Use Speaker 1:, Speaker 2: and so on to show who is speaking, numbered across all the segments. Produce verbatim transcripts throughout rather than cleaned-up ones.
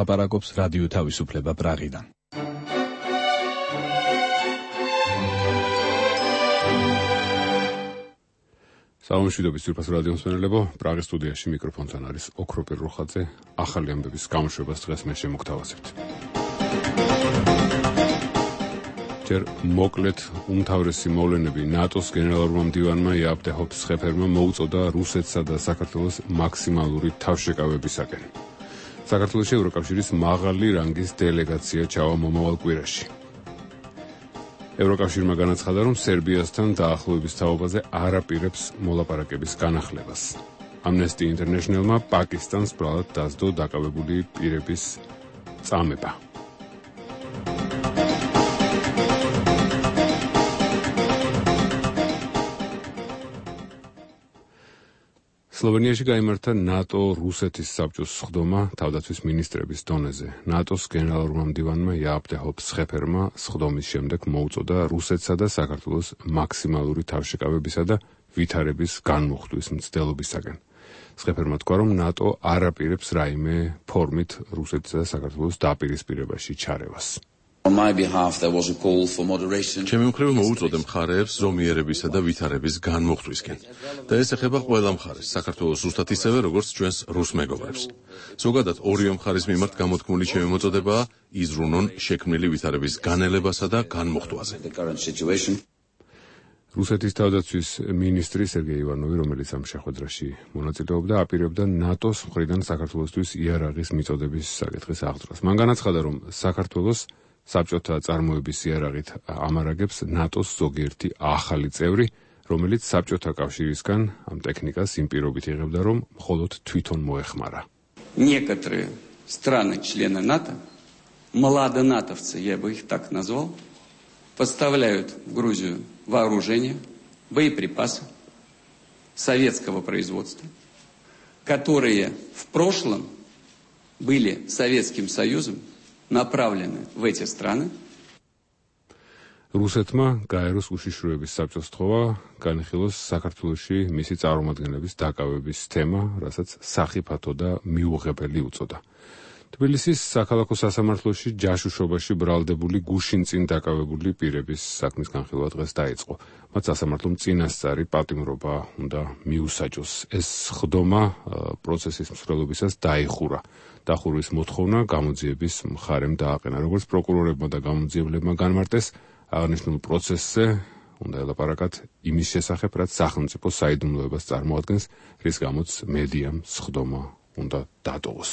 Speaker 1: ლაპარაკობს რადიო თავისუფლება პრაღიდან.
Speaker 2: საუშვიდობის ძვირფას რადიო მსმენელებო, პრაღის სტუდიაში მიკროფონთან არის ოქროპირ როხაძე. ახალი ამბების გამოშვებას დღეს მე შემოგთავაზებთ. ჯერ მოკლედ უმთავრესი მოვლენები ნატოს გენერალურმა მდივანმა იაპტე ჰოფსხეფერმა მოუწოდა რუსეთსა და საქართველოს მაქსიმალური თავშეკავებისაკენ. საქართველოში ევროკავშირის მაღალი რანგის დელეგაცია ჩავა მომავალ კვირაში. ევროკავშირმა განაცხადა, რომ სერბიასთან დაახლოების თაობაზე არ აპირებს მოლაპარაკების განახლებას. Amnesty International-მა პაკისტანს ბრალად დასდო დაკავებული პირების წამება. სლოვენიაში გაიმართა ნატო-რუსეთის საბჭოს სხდომა თავდაცვის მინისტრების დონეზე. ნატოს გენერალურმა მდივანმა იაპტე ჰოფსხეფერმა სხდომის შემდეგ მოუწოდა რუსეთსა და საქართველოს მაქსიმალური თავშეკავებისა და ვითარების განმუხტვის მცდელობისაგან. სხეფერმა თქვა, რომ ნატო არ აპირებს რაიმე ფორმით რუსეთსა და საქართველოს დაპირისპირებაში ჩარევას.
Speaker 3: On my behalf there was a call for moderation.
Speaker 4: ჩემი მხრივ მოუწოდე მხარეებს ზომიერებისა და ვითარების განმუხტვისკენ. და ეს ეხება ყველა მხარეს, საქართველოს ზუსტად ისევე, როგორც ჩვენს რუს მეგობრებს. ზოგადად ორივე მხარის მიმართ გამოთქმული ჩემი მოწოდებაა იზრუნონ შექმნილი ვითარების განელებასა და განმუხტვაზე.
Speaker 2: რუსეთის თავდაცვის მინისტრი სერგეი ივანოვი, რომელიც ამ შეხვედრაში მონაწილეობდა, აპირებდა ნატოს მხრიდან საქართველოსთვის იარაღის მიწოდების საკითხის აღძრას. მან განაცხადა, რომ საქართველოს საბჭოთა წარმოების იარაღით ამარაგებს ნატოს ზოგიერთი ახალი წევრი, რომელიც საბჭოთა კავშირისგან ამ ტექნიკას იმ პირობით იღებდა, რომ მხოლოდ თვითონ მოეხმარა.
Speaker 5: Некоторые страны-члены НАТО, младонатовцы, я бы их так назвал, поставляют в Грузию вооружение, боеприпасы советского производства, которые в прошлом были Советским Союзом направлены в эти страны.
Speaker 2: რუსეთმა გაეროს უშიშროების საბჭოს თხოვა განიხილოს საქართველოში მისი წარმომადგენლების დაკავების თემა, რასაც სახიფათო და მიუღებელი უწოდა. თბილისის საქალაქო სასამართლოში ჯაშუშობაში ბრალდებული გუშინ წინ დაკავებული პირების საქმის განხილვა დღეს დაიწყო. მათ სასამართლომ წინასწარი პატიმრობა უნდა მიუსაჯოს. ეს სხდომა პროცესის მსვლელობისას დაიხურა. დახურვის მოთხოვნა გამოძიების მხარემ დააყენა. როგორც პროკურორებმა და გამოძიებლებმა განმარტეს, აღნიშნულ პროცესზე უნდა ელაპარაკათ იმის შესახებ, რაც სახელმწიფო საიდუმლოებას წარმოადგენს, რის გამოც მედიამ სხდომა უნდა დატოვოს.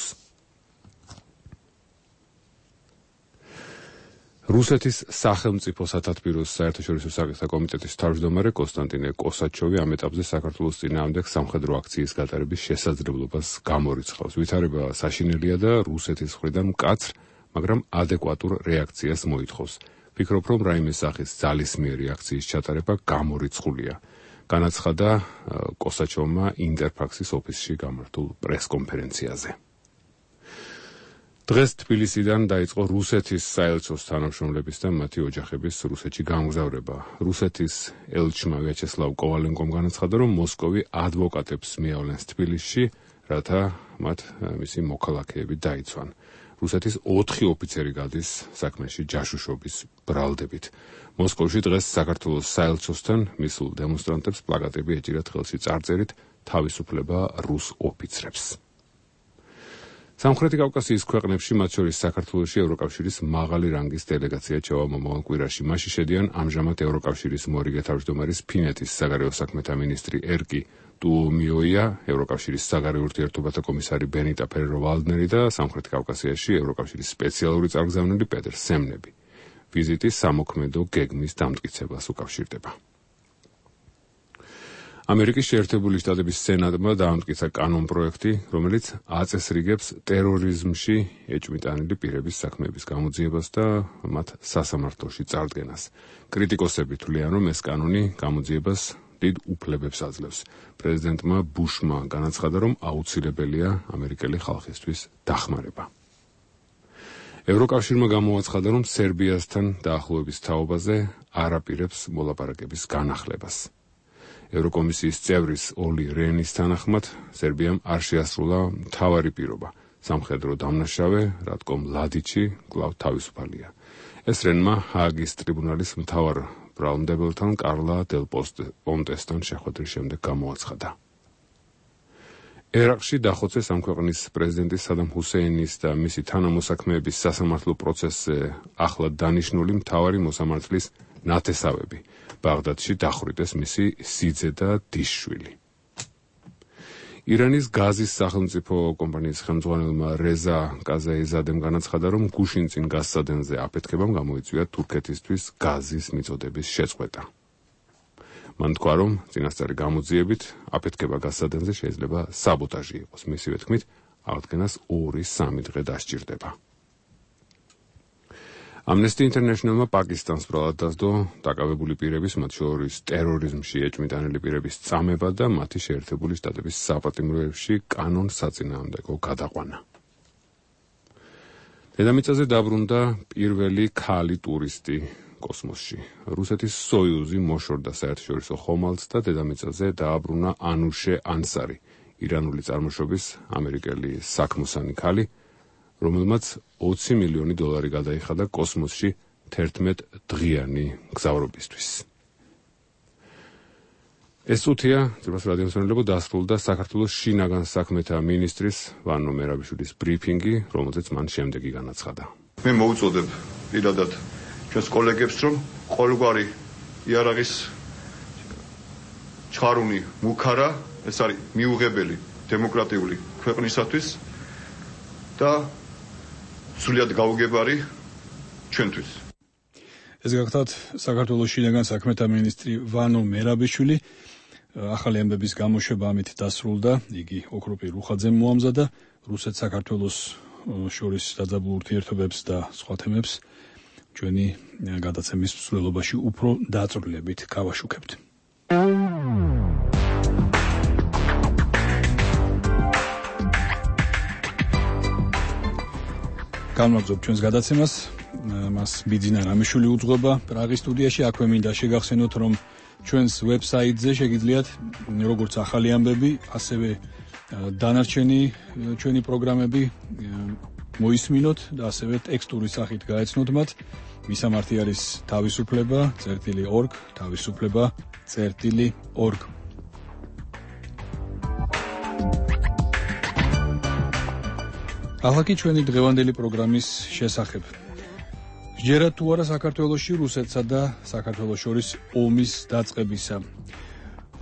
Speaker 2: რუსეთის სახელმწიფო სათათბიროს საერთაშორისო საკითხთა კომიტეტის თავმჯდომარე კონსტანტინე კოსაჩოვი ამ ეტაპზე საქართველოს წინააღმდეგ სამხედრო აქციის გატარების შესაძლებლობას გამორიცხავს. ვითარება საშინელია და რუსეთის მხრიდან მკაცრ, მაგრამ ადეკვატურ რეაქციას მოითხოვს. ფიქრობ, რომ რაიმე სახის ძალისმიერი აქციის ჩატარება გამორიცხულია. განაცხადა კოსაჩოვმა ინტერფაქსის ოფისში გამართულ პრესკონფერენციაზე. დღეს თბილისიდან დაიწყო რუსეთის საელჩოს თანამშრომლების და მათი ოჯახების რუსეთში გამგზავრება. რუსეთის ელჩმა ვიაჩესლავ კოვალენკომ განაცხადა, რომ მოსკოვი ადვოკატებს მიავლენს თბილისში, რათა მათ მისი მოქალაქეები დაიცვან. რუსეთის ოთხი ოფიცერი გადის საქმეში ჯაშუშობის ბრალდებით. მოსკოვში დღეს საქართველოს საელჩოსთან მისულ დემონსტრანტებს პლაკატები ეჭირათ ხელში წარწერით თავისუფლება რუს ოფიცრებს. სამხრეთი კავკასიის ქვეყნებში, მათ შორის საქართველოში ევროკავშირის მაღალი რანგის დელეგაცია ჩავა მომავალ კვირაში. მასში შედიან ამჟამად ევროკავშირის მორიგე თავმჯდომარის ფინეთის საგარეო საქმეთა მინისტრი ერკი ტუომიოია, ევროკავშირის საგარეო ურთიერთობათა კომისარი ბენიტა ფერერო-ვალდნერი და სამხრეთ კავკასიაში ევროკავშირის სპეციალური წარგზავნილი პეტერ სემნები. ვიზიტი სამოქმედო გეგმის დამტკიცებას უკავშირდება. ამერიკის შეერთებული შტატების სენატმა დაამტკიცა კანონპროექტი, რომელიც აწესრიგებს ტერორიზმში ეჭვმიტანილი პირების საქმეების გამოძიებას და მათ სასამართლოში წარდგენას. კრიტიკოსები თვლიან, რომ ეს კანონი გამოძიებას დიდ უფლებებს აძლევს. პრეზიდენტმა ბუშმა განაცხადა, რომ აუცილებელია ამერიკელი ხალხისთვის დახმარება. ევროკავშირმა გამოაცხადა, რომ სერბიასთან დაახლოების თაობაზე არ აპირებს მოლაპარაკების განახლებას. ევროკომისიის წევრის ოლი რენის თანახმად, სერბიამ არ შეასრულა მთავარი პირობა სამხედრო დამნაშავე რატკომ ლადიჩი კვლავ თავისუფალია. ეს რენმა ჰააგის ტრიბუნალის მთავარ ბრალმდებელთან კარლა დელ პონტესთან შეხვედრის შემდეგ გამოაცხადა. ერაყში დახოცეს ამ ქვეყნის პრეზიდენტის სადამ ჰუსეინის და მისი თანამოსაქმეების სასამართლო პროცესზე ახლად დანიშნული მთავარი მოსამართლის ნათესავები. ბაღდადში დახვრიტეს მისი სიძე და დისშვილი. ირანის გაზის სახელმწიფო კომპანიის ხელმძღვანელმა რეზა კაზაიზადემ განაცხადა, რომ გუშინწინ გაზსადენზე აფეთქებამ გამოიწვია თურქეთისთვის გაზის მიწოდების შეწყვეტა. მან თქვა, რომ წინასწარი გამოძიებით აფეთქება გაზსადენზე შეიძლება საბოტაჟი იყოს. მისივე თქმით, აღდგენას ორი სამი დღე დასჭირდება. Amnesty International-მა პაკისტანს ბრალად დასდო დაკავებული პირების, მათ შორის ტერორიზმში ეჭვმიტანილი პირების წამება და მათი შეერთებული შტატების საპატიმროებში კანონსაწინააღმდეგო გადაყვანა. დედამიწაზე დაბრუნდა პირველი ქალი ტურისტი კოსმოსში. რუსეთის სოიუზი მოშორდა საერთაშორისო ხომალდს და დედამიწაზე დააბრუნა ანუშე ანსარი, ირანული წარმოშობის ამერიკელი საქმოსანი ქალი, რომელმაც ოცი მილიონი დოლარი გადაიხადა კოსმოსში თერთმეტ დღიანი გზავრობისთვის. ეს წუთია ძირფას რადიომსმენელებო დასრულდა საქართველოს შინაგან საქმეთა მინისტრის ვანო მერაბიშვილის ბრიფინგი, რომელზეც მან შემდეგი განაცხადა.
Speaker 6: მე მოუწოდებ პირადად ჩვენს კოლეგებს, რომ ყოველგვარი იარაღის ჩხარუნი მუქარა, ეს არის მიუღებელი დემოკრატიული ქვეყნისათვის და სულიად გაუგებარი ჩვენთვის.
Speaker 1: ეს გახლავთ საქართველოს შინაგან საქმეთა მინისტრი ვანო მერაბიშვილი. ახალი ამბების გამოშვება ამით დასრულდა. იგი ოქროპი რუხაძემ მოამზადა რუსეთს საქართველოს შორის დაძაბულ ურთიერთობებს და სხვა თემებს ჩვენი გადაცემის მსვლელობაში უფრო დაწვრილებით გავაშუქებთ. გამარჯობთ ჩვენს გადაცემას. მას ბიძინა რამიშვილი უძღვება პრაღის სტუდიაში. აქვე მინდა შეგახსენოთ, რომ ჩვენს ვებსაიტზე შეგიძლიათ როგორც ახალი ამბები, ასევე დანარჩენი ჩვენი პროგრამები მოისმინოთ და ასევე ტექსტური სახით გაეცნოთ მათ. მისამართი არის თავისუფლება წერტილი ორგ, თავისუფლება წერტილი ორგ. ახლა ჩვენი დღევანდელი პროგრამის შესახებ. ჯერა თუ არა საქართველოში რუსეთსა და საქართველოს შორის ომის დაწყებისა.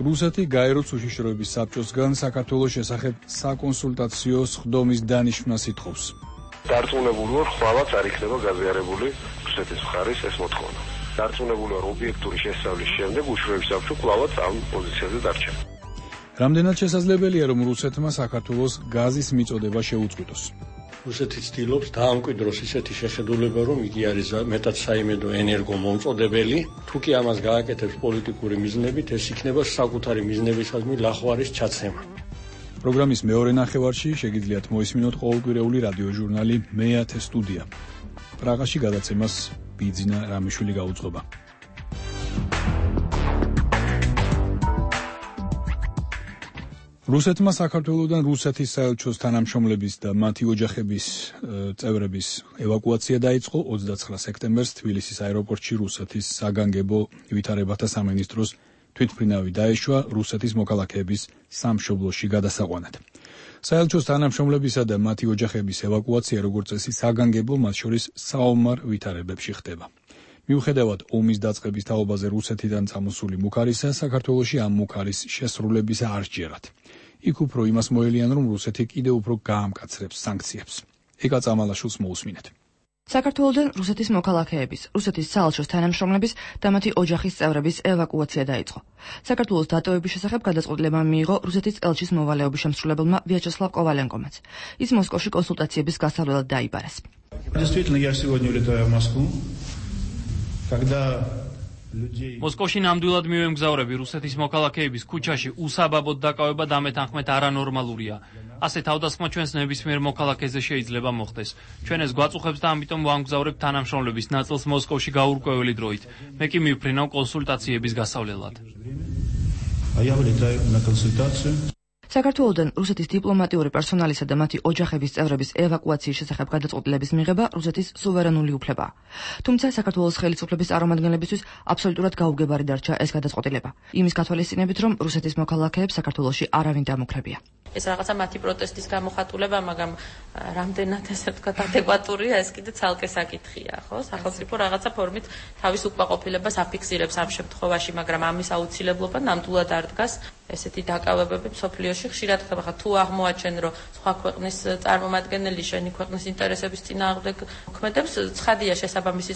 Speaker 1: რუსეთი გაეროს უშიშროების საბჭოსგან საქართველოს შესახებ საკონსულტაციო სხდომის დანიშვნას ითხოვს.
Speaker 7: დარწმუნებული ვარ, ხვალაც არ იქნება გაზიარებული რუსეთის მხარის ეს მოთხოვნა. დარწმუნებული ვარ, ობიექტური შესწავლის შემდეგ უშიშროების საბჭო კვლავაც ამ პოზიციაზე დარჩა.
Speaker 1: რამდენად შესაძლებელია, რომ რუსეთმა საქართველოს გაზის მიწოდება შეუწყვიტოს?
Speaker 8: რუსეთი ცდილობს დაამკვიდროს ისეთი შეხედულება, რომ იგი არის მეტად საიმედო ენერგომომწოდებელი. თუ კი ამას გააკეთებს პოლიტიკური მიზნებით, ეს იქნება საკუთარი მიზნებისადმი ლახვარის ჩაცემა.
Speaker 1: პროგრამის მეორე ნახევარში შეგიძლიათ მოისმინოთ ყოველკვირეული რადიოჟურნალი მეათე სტუდია. პრაღაში გადაცემას ბიძინა რამიშვილი გაუძღვება. რუსეთმა საქართველოდან რუსეთის საელჩოს თანამშრომლების და მათი ოჯახების წევრების ევაკუაცია დაიწყო ოცდაცხრა სექტემბერს თბილისის აეროპორტში. რუსეთის საგანგებო ვითარებათა სამინისტროს თვითმფრინავი დაეშვა რუსეთის მოქალაქეების სამშობლოში გადასაყვანად. საელჩოს თანამშრომლებისა და მათი ოჯახების ევაკუაცია როგორც წესი საგანგებო, მათ შორის საომარ ვითარებებში ხდება. მიუხედავად ომის დაწყების თაობაზე რუსეთიდან წამოსული მუქარისა, საქართველოში ამ მუქარის შესრულებისა არ სჯერათ. იქ უფრო იმას მოელიან, რომ რუსეთი კიდევ უფრო გაამკაცრებს სანქციებს. ეკა წამალაშვილს მოусმინეთ.
Speaker 9: საქართველოდან რუსეთის მოქალაქეების, რუსეთის საელჩოს თანამშრომლების და მათი ოჯახის წევრების ევაკუაცია დაიწყო. საქართველოს დატოვების შესახებ გადაწყვეტილება მიიღო რუსეთის ელჩის მოვალეობის შემსრულებელმა ვიაჩესლავ კოვალენკომაც. ის მოსკოვში კონსულტაციების გასავლელად დაიბარეს.
Speaker 10: Действительно, я сегодня улетаю в Москву. Когда
Speaker 11: მოსკოვში ნამდვილად მივემგზავრები რუსეთის მოქალაქეების ქუჩაში უსაბაბოდ დაკავება დამეთანხმეთ არანორმალურია. ასე თავდასხმა ჩვენს ნებისმიერ მოქალაქეზე შეიძლება მოხდეს. ჩვენ ეს გვაწუხებს და ამიტომ ვამგზავრებთ თანამშრომლების ნაწილს მოსკოვში გაურკვეველი დროით. მე კი მივფრინავ კონსულტაციების გასავლელად.
Speaker 9: საქართველოდან რუსეთის დიპლომატიური პერსონალისა და მათი ოჯახების წევრების ევაკუაციის შესახებ გადაწყვეტილების მიღება რუსეთის სუვერენული უფლებაა. თუმცა საქართველოს ხელისუფლების წარმომადგენლებისთვის აბსოლუტურად გაუგებარი დარჩა ეს გადაწყვეტილება. იმის გათვალისწინებით, რომ რუსეთის მოქალაქეებს საქართველოში არავინ დამუქრებია.
Speaker 12: ეს რაღაცა მათი პროტესტის გამოხატულება, მაგრამ რამდენად ესე ვთქვათ ადეკვატურია, ეს კიდე ცალკე საკითხია, ხო? სახელმწიფო რაღაცა ფორმით თავის უკმაყოფილებას აფიქსირებს ამ შემთხვევაში, მაგრამ ამის აუცილებლობა ნამდვილად არ დგას. ესეთი დაკავებები მსოფლიოში ხშირად ხდება, ხა თუ აღმოაჩენ, რომ სხვა ქვეყნის წარმომადგენელი შენი ქვეყნის ინტერესების წინააღმდეგ მოქმედებს, ცხადია შესაბამისი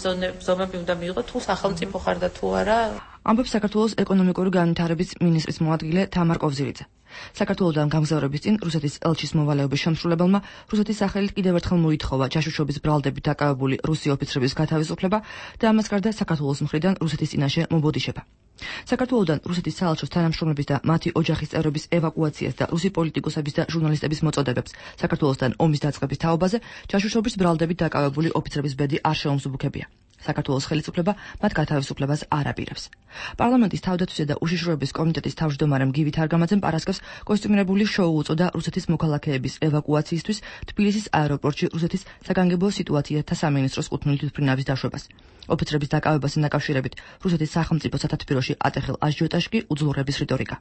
Speaker 12: ზომები უნდა მიიღო, თუ სახელმწიფო ხარ და თუ არა.
Speaker 9: ამბობს საქართველოს ეკონომიკური განვითარების მინისტრის მოადგილე თამარ კოვზირიძე. საქართველოდან გამგზავრების წინ რუსეთის ელჩის მოვალეობის შემსრულებელმა რუსეთის სახელით კიდევ ერთხელ მოითხოვა ჯაშუშობის ბრალდებით დაკავებული რუსი ოფიცრების გათავისუფლება და ამას გარდა საქართველოს მხრიდან რუსეთის წინაშე მობოდიშება. საქართველოდან რუსეთის საელჩოს თანამშრომლების და მათი ოჯახის წევრების ევაკუაციას და რუსი პოლიტიკოსების და ჟურნალისტების მოწოდებებს საქართველოსთან ომის დაწყების თაობაზე ჯაშუშობის ბრალდებით დაკავებული ოფიცრების ბედი არ შეუმსუბუქებია. საქართველოს ხელისუფლება მათ გათავისუფლებას არ აპირებს. პარლამენტის თავდაცვისა და უშიშროების კომიტეტის თავმჯდომარემ გივი თარგამაძემ პარასკევს კოსტიუმირებული შოუ უწოდა რუსეთის მოქალაქეების ევაკუაციისთვის თბილისის აეროპორტში რუსეთის საგანგებო სიტუაციათა სამინისტროს კუთვნილი თვითმფრინავის დაშვებას. ოფიცრების დაკავებასთან დაკავშირებით რუსეთის სახელმწიფო სათათბიროში ატეხილ აჟიოტაჟს კი უძლურების რიტორიკა.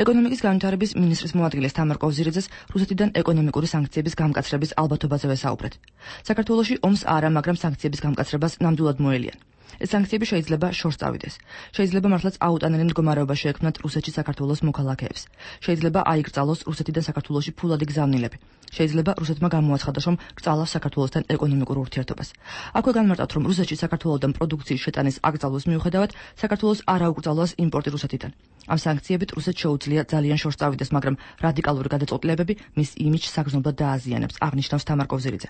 Speaker 9: ეკონომიკის განვითარების მინისტრის მოადგილეს თამარ კოვზირიძეს რუსეთიდან ეკონომიკური სანქციების გამკაცრების ალბათობაზე ვესაუბრეთ. საქართველოში ომს არა, მაგრამ სანქციების გამკაცრებას ნამდვილად მოელიან. ეს სანქციები შეიძლება შორს წავიდეს. შეიძლება მართლაც აუტანელი მდგომარეობა შეექმნათ რუსეთში საქართველოს მოქალაქეებს. შეიძლება აიკრძალოს რუსეთიდან საქართველოში ფულადი გზავნილები. შეიძლება რუსეთმა გამოაცხადოს, რომ კრძალავს საქართველოსთან ეკონომიკურ ურთიერთობას. აქვე განმარტავთ, რომ რუსეთში საქართველოსთან პროდუქციის შეტანის აკრძალვის მიუხედავად საქართველოს არ აუკრძალოს იმპორტი რუსეთიდან. ამ სანქციებით რუსეთს შეუძლია ძალიან შორს წავიდეს, მაგრამ რადიკალური გადაწყვეტილებები მის იმიჯს საგრძნობლად დააზიანებს, აღნიშნავს თამარ კოვზირიძე.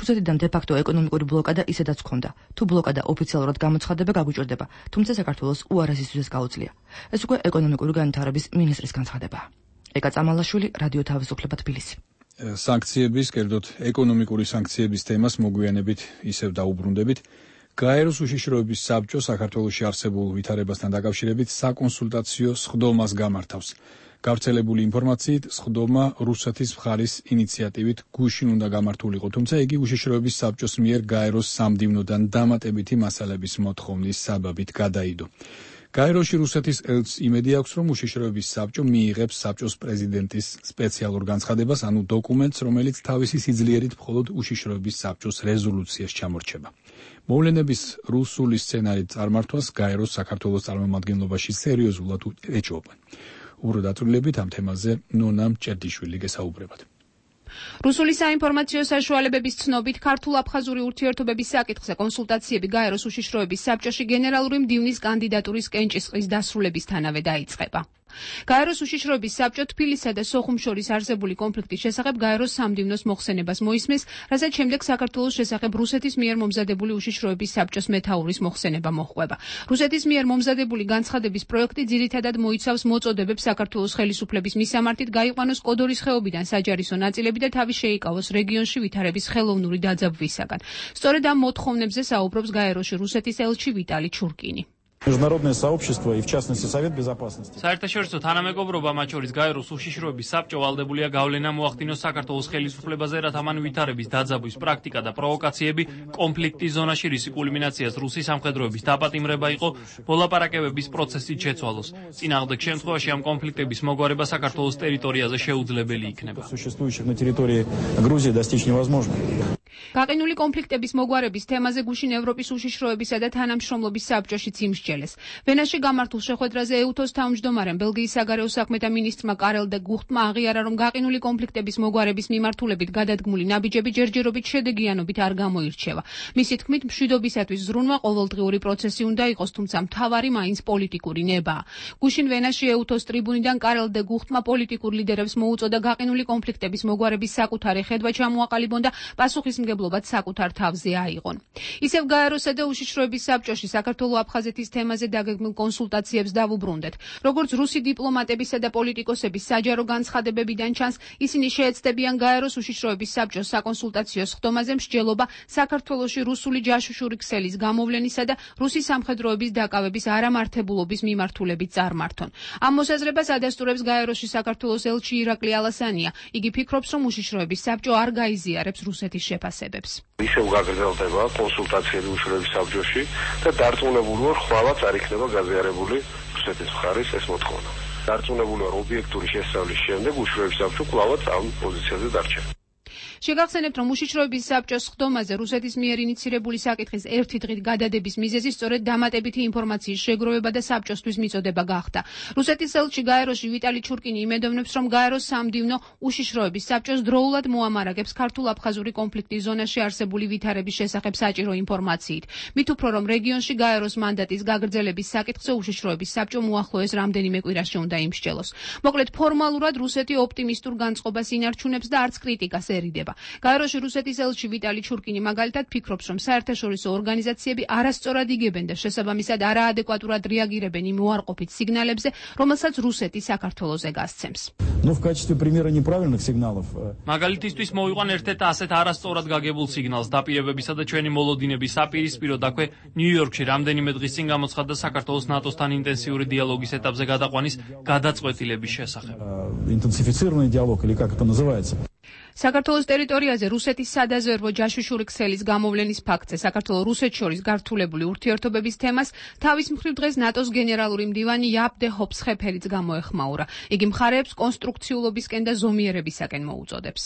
Speaker 9: რუსეთიდან დე-ფაქტო ეკონომიკური ბლოკადა ისედაც ჰქონდა. თუ ბლოკადა ოფიციალურად გამოცხადება გაგუჭირდება, თუმცა საქართველოს უარასისთვის ეს გაუძლია. ეს უკვე ეკონომიკური განვითარების მინისტრის განცხადებაა. ეკა წამალაშვილი, რადიო თავისუფლება, თბილისი.
Speaker 1: სანქციების, კერძოდ ეკონომიკური სანქციების თემას მოგვიანებით ისევ დაუბრუნდებით. გაეროს უშიშროების საბჭო საქართველოში არსებულ ვითარებასთან დაკავშირებით საკონსულტაციო სხდომას გამართავს. გავრცელებული ინფორმაციით, სხდომა რუსეთის მხარის ინიციატივით გუშინ უნდა გამართულიყო, თუმცა იგი უშიშროების საბჭოს მიერ გაეროს სამდივნოდან დამატებითი მასალების მოთხოვნის საბაბით გადაიდო. გაეროში რუსეთის ელჩს იმედი აქვს, რომ უშიშროების საბჭო მიიღებს საბჭოს პრეზიდენტის სპეციალურ განცხადებას, ანუ დოკუმენტს, რომელიც თავისი სიძლიერით მხოლოდ უშიშროების საბჭოს რეზოლუციას ჩამორჩება. მოვლენების რუსული სცენარით წარმართვას გაეროს საქართველოს წარმომადგენლობაში სერიოზულად ეჭვობენ. უბრალოდ დაწვრილებით ამ თემაზე ნონა მჭერდიშვილი გესაუბრებათ.
Speaker 13: რუსული საინფორმაციო საშუალებების ცნობით ქართულ-აფხაზური ურთიერთობების საკითხზე კონსულტაციები გაეროს უშიშროების საბჭოში გენერალური მდივნის კანდიდატურის კენჭისყრის დასრულებისთანავე დაიწყება. გაეროს უშიშროების საბჭო თბილისსა და სოხუმს შორის არსებული კონფლიქტის შესახებ გაეროს სამდივნოს მოხსენებას მოისმის, რასაც შემდეგ საქართველოს შესახებ რუსეთის მიერ მომზადებული უშიშროების საბჭოს მეთაურის მოხსენება მოჰყვება. რუსეთის მიერ მომზადებული განცხადების პროექტი ძირითადად მოიცავს მოწოდებებს საქართველოს ხელისუფლების მისამართით გაიყვანოს კოდორის ხეობიდან საჯარისო ნაწილები და თავი შეიკავოს რეგიონში ვითარების ხელოვნური დაძაბვისაგან. სწორედ ამ მოთხოვნებზე საუბრობს გაეროში რუსეთის ელჩი ვიტალი ჩურკინი.
Speaker 14: Международное сообщество и в частности Совет Безопасности.
Speaker 11: საერთაშორისო თანამეგობრობა, მათ შორის გაეროს უშიშროების საბჭო ვალდებულია გავლენა მოახდინოს საქართველოს ხელისუფლებაზე, რათა მან ვითარების დაძაბვის პრაქტიკა და პროვოკაციები კონფლიქტის ზონაში რის კულმინაციას რუსი სამხედროების დაპატიმრება იყო, მოლაპარაკებების პროცესით შეცვალოს. წინააღმდეგ შემთხვევაში ამ კონფლიქტების მოგვარება საქართველოს ტერიტორიაზე შეუძლებელი იქნება.
Speaker 14: Существующих на территории Грузии достичь невозможно.
Speaker 13: გაყინული კონფლიქტების მოგვარების თემაზე გუშინ ევროპის უშიშროებისა და თანამშრომლობის საბჭოში იმსჯელეს. ვენაში გამართულ შეხვედრაზე ეუთოს თავმჯდომარემ ბელგიის საგარეო საქმეთა მინისტრმა კარელ დე გუხტმა აღიარა, რომ გაყინული კონფლიქტების მოგვარების მიმართულებით გადადგმული ნაბიჯები ჯერჯერობით შედეგიანობით არ გამოირჩევა. მისი თქმით, მშვიდობისათვის ზრუნვა ყოველდღიური პროცესი უნდა იყოს, თუმცა მთავარი მაინც პოლიტიკური ნებაა. გუშინ ვენაში ეუთოს ტრიბუნიდან კარელ დე გუხტმა პოლიტიკურ ლიდერებს მოუწოდა გაყინული კონფლიქტების მოგვარების საკუთარი ხედვა ჩამოაყალიბონ და პასუხისმგებლო მცდელობად საკუთარ თავზე აიღონ. ისევ გაეროსა და უშიშროების საბჭოში საქართველო-აფხაზეთის თემაზე დაგეგმილ კონსულტაციებს დავუბრუნდეთ. როგორც რუსი დიპლომატებისა და პოლიტიკოსების საჯარო განცხადებებიდან ჩანს, ისინი შეეცდებიან გაეროს უშიშროების საბჭოს საკონსულტაციო სხდომაზე მსჯელობა საქართველოში რუსული ჯაშუშური ქსელის გამოვლენისა და რუსი სამხედროების დაკავების არამართებულობის მიმართულებით წარმართონ. ამ მოსაზრებას ადასტურებს გაეროში საქართველოს ელჩი ირაკლი ალასანია. იგი ფიქრობს, რომ უშიშროების საბჭო არ გაიზიარებს რუსეთის შეფასებებს.
Speaker 7: ისევ გაგრძელდება კონსულტაციები უშიშროების საბჭოში და დარწმუნებული ვარ, ხვალაც არ იქნება გაზიარებული რუსეთის მხარის ეს მოთხოვნა. დარწმუნებული ვარ, ობიექტური შესწავლის შემდეგ უშიშროების საბჭო კვლავაც ამ პოზიციაზე დარჩა.
Speaker 13: შეგახსენებთ, რომ უშიშროების საბჭოს სხდომაზე რუსეთის მიერ ინიცირებული საკითხის ერთი დღით გადადების მიზეზი სწორედ დამატებითი ინფორმაციის შეგროვება და საბჭოსთვის მიწოდება გახდა. რუსეთის ელჩი გაეროში ვიტალი ჩურკინი იმედოვნებს, რომ გაეროს სამდივნო უშიშროების საბჭოს დროულად მოამარაგებს ქართულ-აფხაზური კონფლიქტის ზონაში არსებული ვითარების შესახებ საჭირო ინფორმაციით. მით უფრო, რომ რეგიონში გაეროს მანდატის გაგრძელების საკითხზე უშიშროების საბჭო მოახლოეს რამდენიმე კვირაში უნდა იმსჯელოს. მოკლედ, ფორმალურად რუსეთი ოპტიმისტურ განწყობას ინარჩუნებს და არც კრიტიკას ერიდება. გაეროში რუსეთის ელჩი ვიტალი ჩურკინი მაგალითად ფიქრობს, რომ საერთაშორისო ორგანიზაციები არასწორად იგებენ და შესაბამისად არაადეკვატურად რეაგირებენ იმ უარყოფით სიგნალებზე, რომელსაც რუსეთი საქართველოზე გასცემს.
Speaker 14: Ну, в качестве примера неправильных сигналов.
Speaker 11: მაგალითისთვის მოვიყვან ერთ-ერთ ასეთ არასწორად გაგებულ სიგნალს დაპირებებისა და ჩვენი მოლოდინების საპირისპიროდ აქვე ნიუ-იორკში რამდენიმე დღის წინ გამოცხადდა საქართველოს ნატოსთან ინტენსიური დიალოგის ეტაპზე გადაყვანის გადაწყვეტილების შესახებ.
Speaker 14: Интенсифицированный диалог или как это называется?
Speaker 13: საქართველოს ტერიტორიაზე რუსეთის სადაზვერვო ჯაშუშური ქსელის გამოვლენის ფაქტზე საქართველოს რუსეთს შორის გართულებული ურთიერთობების თემას თავის მხრივ დღეს ნატოს გენერალური მდივანი იაპ დე ჰოფსხეფელიც გამოეხმაურა. იგი მხარეებს კონსტრუქციულობისკენ და ზომიერებისაკენ მოუწოდებს.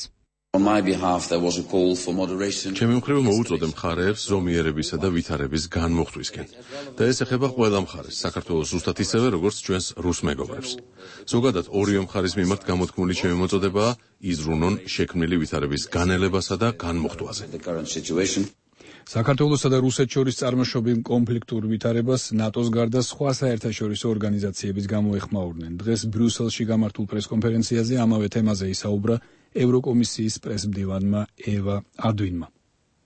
Speaker 3: On my behalf, there was a call for moderation.
Speaker 4: ჩემი მხრივ მოუწოდე მხარეებს ზომიერებისა და ვითარების განმოხტვისკენ. და ეს ეხება ყველა მხარეს, საქართველოს ზუსტად ისევე, როგორც ჩვენს რუს მეგობრებს. ზოგადად, ორივე მხარის მიმართ გამოთქმული ჩემი მოწოდებაა იზრუნონ შექმნილი ვითარების განელებასა და განმოხტვაზე.
Speaker 1: საქართველოსა და რუსეთს შორის წარმოშობილ კონფლიქტურ ვითარებას ნატოს გარდა სხვა საერთაშორისო ორგანიზაციების გამოეხმაურნენ. დღეს ბრიუსელში გამართულ პრესკონფერენციაზე ამავე თემაზე ისაუბრა ევროკომისიის პრესმდივანმა ევა ადვინმა.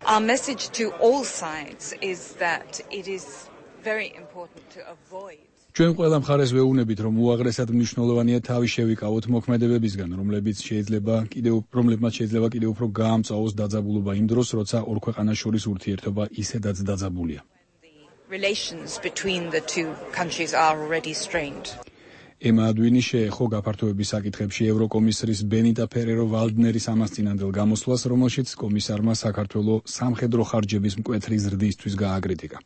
Speaker 15: Our message to all sides is that it is very important to avoid
Speaker 1: ჩვენ ყველა მხარეს ვეუბნებით, რომ უაღრესად მნიშვნელოვანია თავი შევიკავოთ მოქმედებებისგან, რომლებიც შეიძლება კიდევ რომლებმაც შეიძლება კიდევ უფრო გაამწვავოს დაძაბულობა იმ დროს, როცა ორ ქვეყანას შორის ურთიერთობა ისედაც დაძაბულია.
Speaker 15: Relations between the two countries are already strained.
Speaker 1: ემა ადვინი შეეხო გაფართოების საკითხებში ევროკომისრის ბენიტა ფერერო ვალდნერის ამასწინანდელ გამოსვლას, რომელშიც კომისარმა საქართველოს სამხედრო ხარჯების მკვეთრი ზრდისთვის გააკრიტიკა.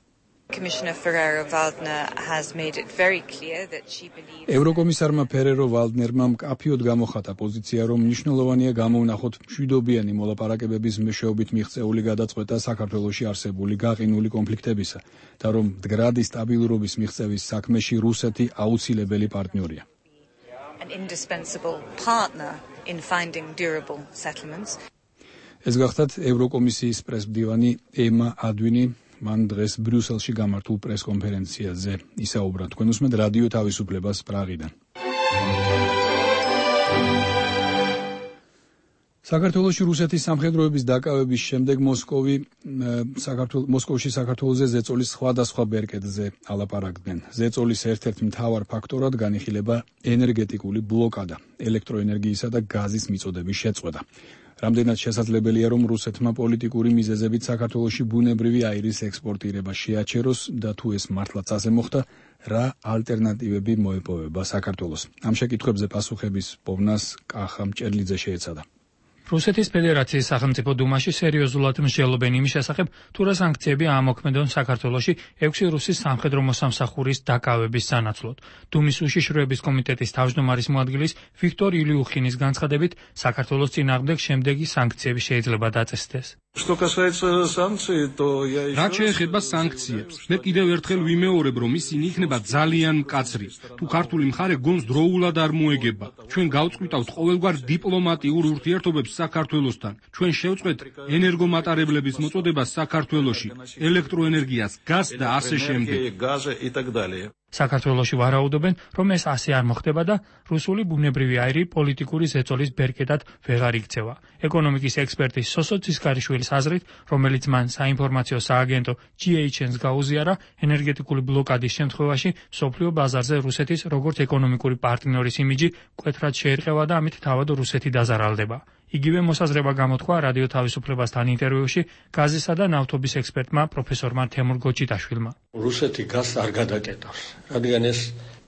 Speaker 15: Commissioner Ferrero-Waldner has made it very clear that she believes
Speaker 1: ევროკომისარმა ფერერო ვალდნერმა მკაფიოდ გამოხატა პოზიცია, რომ მნიშვნელოვანია გამოვნახოთ მშვიდობიანი მოლაპარაკებების მეშვეობით მიღწეული გადაწყვეტა საქართველოში არსებული გაყინული კონფლიქტებისა და რომ მდგრადი სტაბილურობის მიღწევის საქმეში რუსეთი აუცილებელი პარტნიორია.
Speaker 15: an indispensable partner in finding durable settlements.
Speaker 1: ეს გახდათ ევროკომისიის პრესმდივანი ემა ადვინი მან დღეს ბრიუსელში გამართულ პრესკონფერენციაზე ისაუბრა. თქვენ უსმენთ რადიო თავისუფლებას პრაღიდან. საქართველოში რუსეთის სამხედროების დაკავების შემდეგ მოსკოვი საქართველოს მოსკოვში საქართველოზე ზეწოლის სხვადასხვა ბერკეტზე ალაპარაკდნენ. ზეწოლის ერთ-ერთ მთავარ ფაქტორად განიხილება ენერგეტიკული ბლოკადა, ელექტროენერგიისა და გაზის მიწოდების შეწყვეტა. რამდენად შესაძლებელია, რომ რუსეთმა პოლიტიკური მიზეზებით საქართველოში ბუნებრივი აირის ექსპორტირება შეაჩეროს და თუ ეს მართლაც ასე მოხდა, რა ალტერნატივები მოეპოვება საქართველოს. ამ შეკითხვებზე პასუხების პოვნას კახა მჭერლიძე შეეცადა.
Speaker 11: რუსეთის ფედერაციის სახელმწიფო დუმაში სერიოზულად მსჯელობენ იმის შესახებ, თუ რა სანქციები აამოქმედონ საქართველოში ექვსი რუსის სამხედრო მოსამსახურის დაკავების სანაცვლოდ. დუმის უშიშროების კომიტეტის თავმჯდომარის მოადგილის ვიქტორ ილიუხინის განცხადებით, საქართველოს წინააღმდეგ შემდეგი სანქციები შეიძლება დაწესდეს.
Speaker 16: Что касается санкций, то я еще
Speaker 17: რაც შეეხება სანქციებს, მე კიდევ ერთხელ ვიმეორებ, რომ ისინი იქნება ძალიან მკაცრი. თუ ქართული მხარე გონს დროულად არ მოეგება, ჩვენ გავწყვიტავთ ყოველგვარ დიპლომატიურ ურთიერთობებს საქართველოსთან. ჩვენ შევწყვეთ ენერგომატარებლების მოწოდება საქართველოში, ელექტროენერგიას, გაზს და ასე შემდეგ.
Speaker 11: საქართველოში ვარაუდობენ, რომ ეს ასე არ მოხდება და რუსული ბუნებრივი აირი პოლიტიკური ზეწოლის ბერკეტად ვეღარ იქცევა. ეკონომიკის ექსპერტი სოსო ცისკარიშვილის აზრით, რომელიც მან საინფორმაციო სააგენტო ჯი ეიჩ ენს გაუზიარა, ენერგეტიკული ბლოკადის შემთხვევაში მსოფლიო ბაზარზე რუსეთის როგორც ეკონომიკური პარტნიორის იმიჯი მკვეთრად შეერყევა და ამით თავად რუსეთი დაზარალდება. იგივე მოსაზრება გამოთქვა რადიო თავისუფლებასთან ინტერვიუში გაზისა და ნავთობის ექსპერტმა პროფესორმა თემურ გოჩიტაშვილმა.
Speaker 8: რუსეთი გაზს არ გადაკეტავს, რადგან ეს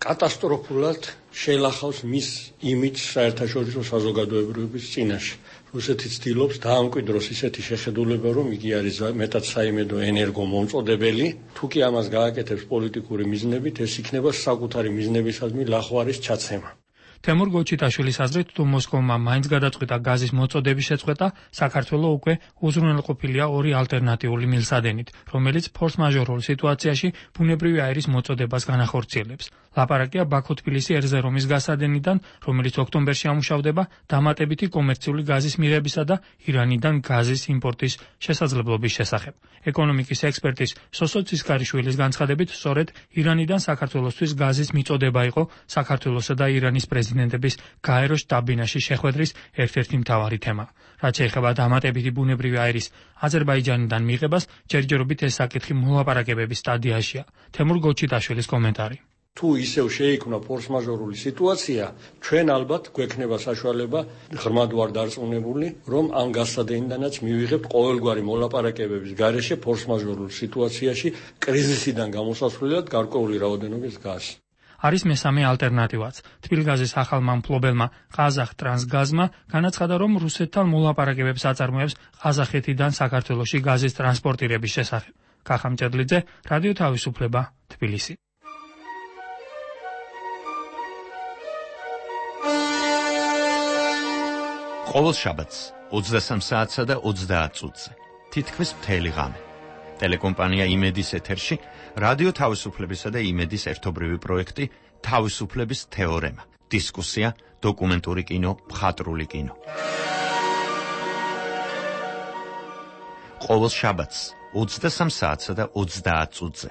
Speaker 8: კატასტროფულად შეილახავს მის იმიჯს საერთაშორისო საზოგადოებრივების წინაშე. რუსეთი ცდილობს დაამკვიდროს ისეთი შეხედულება, რომ იგი არის მეტად საიმედო ენერგომომწოდებელი. თუ კი ამას გააკეთებს პოლიტიკური მიზნებით, ეს იქნება საკუთარი მიზნებისადმი ლახვარის ჩაცემა.
Speaker 11: თემურ გოჩიტაშვილის აზრით, თუ მოსკოვმა მაინც გადაწყვიტა გაზის მოწოდების შეწყვეტა, საქართველო უკვე უზრუნველყოფილია ორი ალტერნატიული მილსადენით, რომელიც ფორს-მაჟორულ სიტუაციაში ბუნებრივი აირის მოწოდებას განახორციელებს. ლაპარაკია ბაქო-თბილისი ერზერომის გასადენიდან, რომელიც ოქტომბერში ამუშავდება დამატებითი კომერციული გაზის მიღებისა და ირანიდან გაზის იმპორტის შესაძლებლობის შესახებ. ეკონომიკის ექსპერტის სოსო ცისკარიშვილის განცხადებით, სწორედ ირანიდან საქართველოსთვის გაზის მიწოდება იყო საქართველოსა და ირანის პრეზიდენტების გაერო შტაბ-ბინაში შეხვედრის ერთ-ერთი მთავარი თემა. რაც შეეხება დამატებითი ბუნებრივი აირის აზერბაიჯანიდან მიღებას, ჯერჯერობით ეს საკითხი მოლაპარაკებების სტადიაშია. თემურ გოჩიტაშვილის კომენტარი.
Speaker 8: თუ ისევ შეიქმნა ფორს-მაჟორული სიტუაცია, ჩვენ ალბათ გვექნება საშუალება ღრმად ვარ დარწმუნებული, რომ ამ გასადენიდანაც მივიღებთ ყოველგვარი მოლაპარაკებების გარეშე ფორს-მაჟორულ სიტუაციაში კრიზისიდან გამოსასვლელად გარკვეული რაოდენობის გაზს.
Speaker 11: არის მესამე ალტერნატივაც. თბილგაზის ახალმა მფლობელმა ყაზახტრანსგაზმა განაცხადა, რომ რუსეთთან მოლაპარაკებებს აწარმოებს ყაზახეთიდან საქართველოში გაზის ტრანსპორტირების შესახებ. კახა მჭედლიძე, რადიო თავისუფლება, თბილისი.
Speaker 18: ყოველ შაბათს ოცდასამ საათსა და ოცდაათ წუთზე თითქმის მთელი ღამე ტელეკომპანია იმედის ეთერში რადიო თავისუფლებისა და იმედის ერთობრივი პროექტი თავისუფლების თეორემა, დისკუსია, დოკუმენტური კინო, მხატვრული კინო. ყოველ შაბათს ოცდასამ საათსა და ოცდაათ წუთზე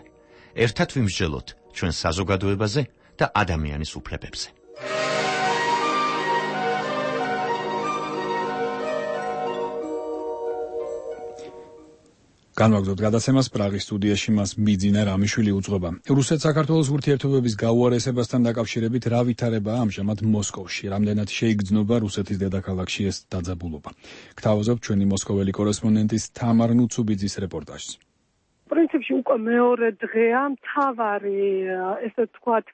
Speaker 18: ერთად ვიმსჯელოთ ჩვენ საზოგადოებაზე და ადამიანის უფლებებზე.
Speaker 1: განვაგრძობთ გადაცემას პრაღის სტუდიაში მას მიძინა რამიშვილი უძღვება. რუსეთ-საქართველოს ურთიერთობების გაუარესებასთან დაკავშირებით რა ვითარებაა ამჟამად მოსკოვში? რამდენად შეიგრძნობა რუსეთის დედაქალაქში ეს დაძაბულობა? გთავაზობთ ჩვენი მოსკოველი კორესპონდენტის თამარ ნუცუბიძის რეპორტაჟს.
Speaker 19: პრინციპში უკვე მეორე დღეა მთავარი ესე ვთქვათ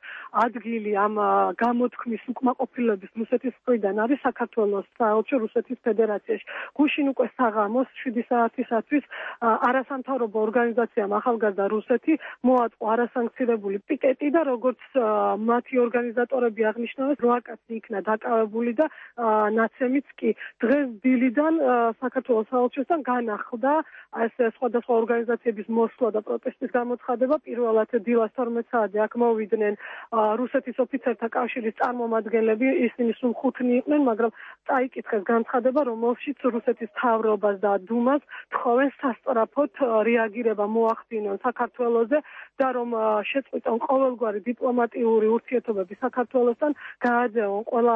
Speaker 19: ადგილი ამ გამოთქმის უკმაყოფილების რუსეთის მხრიდან არის საქართველოს საელჩო რუსეთის ფედერაციაში. გუშინ უკვე საღამოს შვიდი საათისათვის არასამთავრობო ორგანიზაციამ ახალგაზრდა რუსეთი მოაწყო არასანქცირებული პიკეტი და როგორც მათი ორგანიზატორები აღნიშნავენ, რვა კაცი იქნა დაკავებული და ნაცემიც კი. დღეს დილიდან საქართველოს საელჩოსთან განახლდა ეს სხვადასხვა ორგანიზაციების მოსვლა და პროტესტის გამოცხადება. პირველად დილას თორმეტ საათზე აქ მოვიდნენ რუსეთის ოფიცერთა კავშირის წარმომადგენლები, ისინი სულ ხუთნი იყვნენ, მაგრამ წაიკითხეს განცხადება, რომელშიც რუსეთის მთავრობას და დუმას თხოვენ სასწრაფოდ რეაგირება მოახდინონ საქართველოზე და რომ შეწყვიტონ ყოველგვარი დიპლომატიური ურთიერთობები საქართველოსთან, გააძევონ ყველა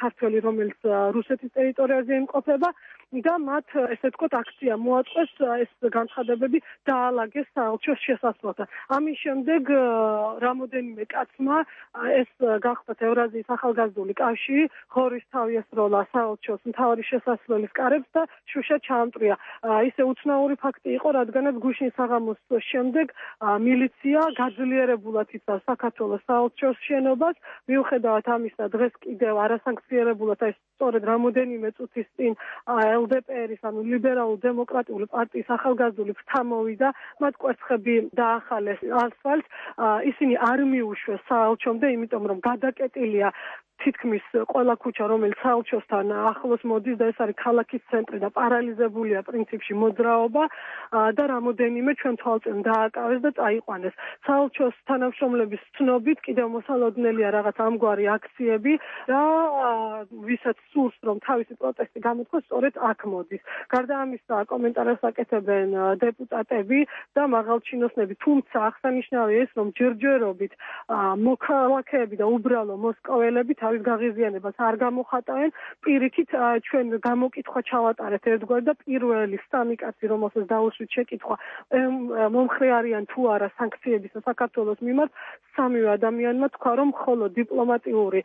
Speaker 19: ქართველი, რომელიც რუსეთის ტერიტორიაზე იმყოფება და მათ ესე ვთქვათ აქცია მოაწყვეს ეს განცხადებები დაალაგეს საელჩოს შესასვლელთან. ამის შემდეგ რამოდენიმე კაცმა ეს გახდათ ევრაზიის ახალგაზრდული კავშირი ხორისთავი ესროლა საელჩოს მთავარი შესასვლელის კარებს და შუშა ჩაამტრია. ისე უცნაური ფაქტი იყო, რადგანაც გუშინ საღამოს შემდეგ მილიცია გაძლიერებულად იცავს საქართველოს საელჩოს შენობას. მიუხედავად ამისა, დღეს კიდევ არასანქციონირებულად ეს სწორედ რამოდენიმე წუთის წინ ელ დე პე ერის ანუ ლიბერალურ დემოკრატიული პარტიის ახალგაზრდული ფრთა მოვიდა, მათ კვერცხები დაახალეს ასფალტს, ისინი არ მიუშვეს საელჩომდე, იმიტომ რომ გადაკეტილია თითქმის ყველა ქუჩა, რომელიც საელჩოსთან ახლოს მოდის და ეს არის ქალაქის ცენტრი და პარალიზებულია პრინციპში მოძრაობა და რამოდენიმე ჩვენ თვალწინ დააკავეს და წაიყვანეს. საელჩოს თანამშრომლების ცნობით კიდევ მოსალოდნელია რაღაც ამგვარი აქციები და ვისაც სურს რომ თავისი პროტესტი გამოთქვას, სწორედ აქ მოდის. გარდა ამისა, კომენტარებს აკეთებენ დეპუტატები და მაღალჩინოსნები, თუმცა აღსანიშნავია ის, რომ ჯერჯერობით მოქალაქეები და უბრალო მოსკოველები თავის გაღიზიანებას არ გამოხატავენ. პირიქით ჩვენ გამოკითხვა ჩავატარეთ ერთგვარ და პირველი სამი კაცი, რომელსაც დაუშვით შეკითხვა, მომხრე არიან თუ არა სანქციებისა საქართველოს მიმართ, სამივე ადამიანმა თქვა, რომ მხოლოდ დიპლომატიური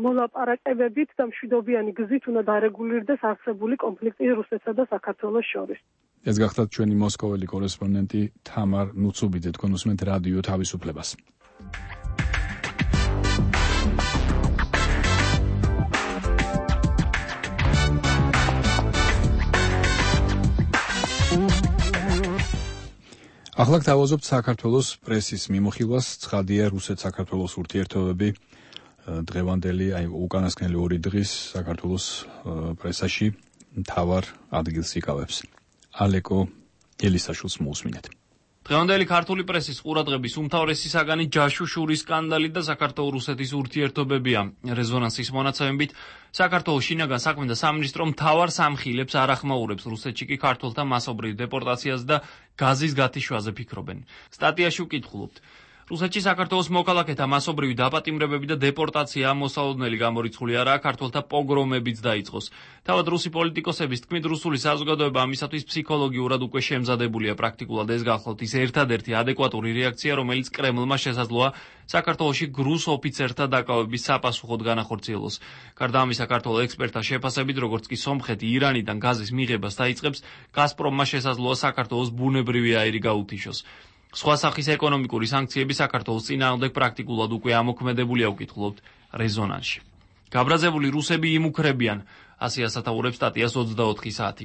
Speaker 19: მოლაპარაკებებით და მშვიდობიანი გზით უნდა დარეგულირდეს არსებული კონფლიქტი რუსეთსა და საქართველოს შორის.
Speaker 1: ეს გახდათ ჩვენი მოსკოველი კორესპონდენტი თამარ ნუცუბიძე, თქვენ უსმენთ რადიო თავისუფლებას. ახლა გთავაზობთ საქართველოს პრესის მიმოხილვას. ცხადია, რუსეთ-საქართველოს ურთიერთობები დღევანდელი, აი უკანასკნელი ორი დღის საქართველოს პრესაში მთავარ ადგილს იკავებს. ალეკო ელისაშვილს მოусმინეთ.
Speaker 11: დღევანდელი ქართული პრესის ყურადღების უმთავრესი საგანი ჯაშუშურის სკანდალი და საქართველოს-რუსეთის ურთიერთობებია. რეზონანსის მონაცემებით, საქართველოს შინაგან საქმეთა სამინისტრო მთავარ სამხილებს არ ახმაურებს რუსეთში კი ქართველთა მასობრივ დეპორტაციას და გაზის გათიშვაზე ფიქრობენ. სტატიაში ვკითხულობთ. რუსეთში საქართველოს მოქალაქეთა მასობრივი დაპატიმრებები და დეპორტაცია მოსალოდნელი გამორიცხული არაა, ქართველთა პოგრომებიც დაიწყოს. თავად რუსი პოლიტიკოსების თქმით, რუსული საზოგადოება ამისათვის ფსიქოლოგიურად უკვე შემზადებულია. პრაქტიკულად ეს გახლავთ ის ერთადერთი ადეკვატური რეაქცია, რომელიც კრემლმა შესაძლოა საქართველოში გრუს ოფიცერთა დაკავების საპასუხოდ განახორციელოს. გარდა ამისა, ქართველ ექსპერტთა შეფასებით, როგორც კი სომხეთი ირანიდან გაზის მიღებას დაიწყებს, გაზპრომმა შესაძლოა საქართველოს ბუნებრივი აირი გაუთიშოს. სხვა სახის ეკონომიკური სანქციები საქართველოს წინააღმდეგ პრაქტიკულად უკვე ამოქმედებულია, ვკითხულობთ რეზონანსში. გაბრაზებული რუსები იმუქრებიან, ასე ასათაურებს სტატიას ოცდაოთხი საათი.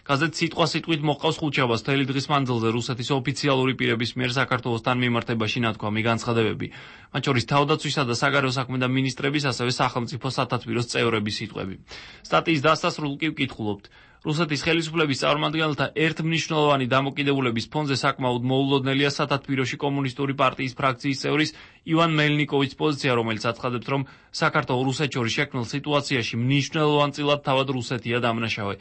Speaker 11: გაზეთ სიტყვა-სიტყვით მოყავს ხუთშაბათს მთელი დღის მანძილზე რუსეთის ოფიციალური პირების მიერ საქართველოსთან მიმართებაში ნათქვამი განცხადებები. მათ შორის თავდაცვისა და საგარეო საქმეთა მინისტრების, ასევე სახელმწიფო სათათბიროს წევრების სიტყვები. სტატიის დასასრულ კი ვკითხულობთ. რუსეთის ხელისუფლების წარმომადგენელთა ერთმნიშვნელოვანი დამოკიდებულების ფონზე საკმაოდ მოულოდნელია სათათბიროში კომუნისტური პარტიის ფრაქციის წევრის ივან მელნიკოვის პოზიცია, რომელიც აცხადებს, რომ საქართველოს რუსეთს შორის შექმნილ სიტუაციაში მნიშვნელოვანწილად თავად რუსეთია დამნაშავე.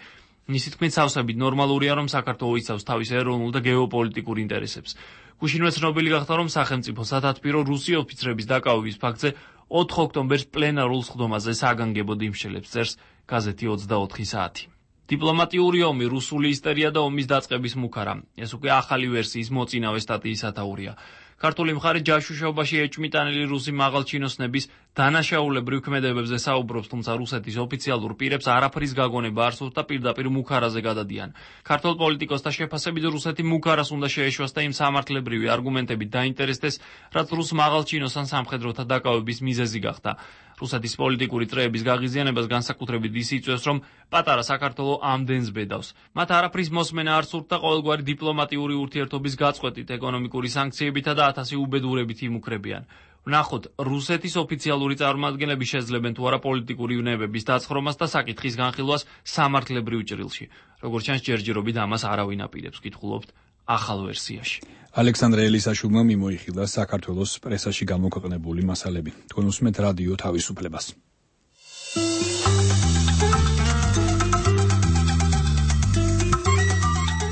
Speaker 11: მისი თქმით, სავსებით ნორმალურია, რომ საქართველო იცავს თავის ეროვნულ და გეოპოლიტიკურ ინტერესებს. გუშინვე ცნობილი გახდა, რომ სახელმწიფო სათათბირო რუსი ოფიცრების დაკავების ფაქტზე ოთხ ოქტომბერს პლენარულ სხდომაზე საგანგებოდ იმშელებს, წერს გაზეთი ოცდაოთხი საათი. დიპლომატიური ომი, რუსული ისტერია და ომის დაწყების მუქარა. ეს უკვე ახალი ვერსიის მოწინავე სტატიის სათაურია. ქართული მხარე ჯაშუშობაში ეჭმიტანილი რუსი მაღალჩინოსნების დანაშაულებრივ ქმედებებზე საუბრობს, თუმცა რუსეთის ოფიციალურ პირებს არაფრის გაგონება არ სურთ და პირდაპირ მუქარაზე გადადიან. ქართულ პოლიტიკოსთა შეფასებით, რუსეთი მუქარას უნდა შეეშვას და იმ სამართლებრივი არგუმენტებით დაინტერესდეს, რაც რუს მაღალჩინოსან სამხედროთა დაკავების მიზეზი გახდა. რუსეთის პოლიტიკური წრეების გაღიზიანებას განსაკუთრებით ის იწვევს, რომ პატარა საქართველო ამდენს ბედავს. მათ არაფრის მოსმენა არ სურთ და ყოველგვარი დიპლომატიური ურთიერთობის გაწყვეტით, ეკონომიკური სანქციებითა და ათასი უბედურებით იმუქრებიან. ვნახოთ, რუსეთის ოფიციალური წარმომადგენლები შეძლებენ თუ არა პოლიტიკური ვნებების დაცხრომას და საკითხის განხილვას სამართლებრივ ჭრილში. როგორც ჩანს, ჯერჯერობით ამას არავინ აპირებს, ვკითხულობთ ახალ ვერსიაში.
Speaker 1: ალექსანდრე ელისაშვილმა მიმოიხილა საქართველოს პრესაში გამოქვეყნებული მასალები. თქვენ უსმენთ რადიო თავისუფლებას.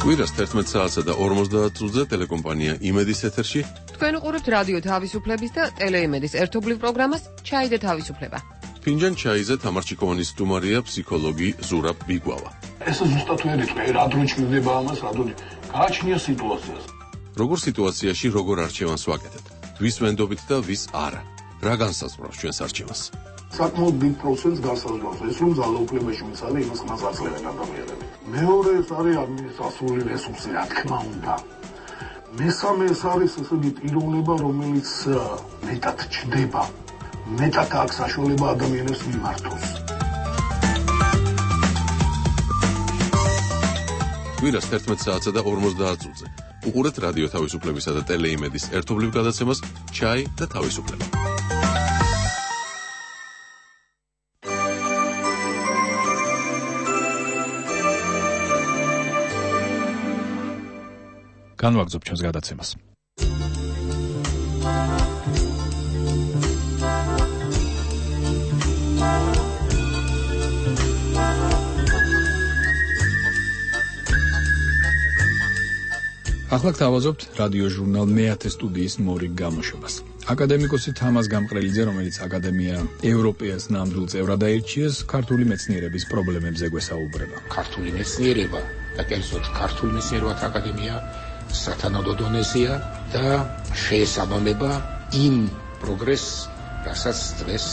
Speaker 4: კვირას თერთმეტ საათსა და ორმოცდაათ წუთზე ტელეკომპანია იმედის ეთერში.
Speaker 20: თქვენ უყურებთ რადიო თავისუფლების და ტელეიმედის ერთობლივ პროგრამას ჩაი და თავისუფლება.
Speaker 4: ფინჯან ჩაიზე თამარ ჩიკოვანის სტუმარია ფსიქოლოგი ზურაბ ბიგვავა.
Speaker 21: ეს ზუსტად ვერ იტყვი, რა დრო ჭირდება ამას, რა დრო გააჩნია სიტუაციას.
Speaker 4: როგორ სიტუაციაში როგორ არჩევანს ვაკეთებთ? ვის ვენდობით და ვის არა? რა განსაზღვრავს ჩვენს არჩევანს?
Speaker 21: საკმაოდ დიდ პროცენტს განსაზღვრავს ეს, რომ ძალაუფლებაში მიცადე იმას ხმას აცლევენ ადამიანები. მეორე ეს არის ადმინისტრაციული რესურსი, რა თქმა უნდა. მესამე ეს არის ესეთი პიროვნება, რომელიც მეტად ჩდება. მეტად აქვს საშუალება ადამიანებს მიმართოს.
Speaker 4: კვირას თერთმეტ საათსა და ორმოცდაათ წუთზე. უყურეთ რადიო თავისუფლებისა და ტელეიმედის ერთობლივ გადაცემას ჩაი და თავისუფლება.
Speaker 1: განვაგრძობ ჩვენს გადაცემას. ახლა გთავაზობთ რადიო ჟურნალ მეათე სტუდიის მორიგ გამოშვებას. აკადემიკოსი თამაზ გამყრელიძე, რომელიც აკადემია ევროპეას ნამდვილ წევრად აირჩიეს, ქართული მეცნიერების პრობლემებზე გვესაუბრება.
Speaker 5: ქართული მეცნიერება და კერძოდ ქართული მეცნიერებათა აკადემია სათანადო დონეზეა და შეესაბამება იმ პროგრესს, რასაც დღეს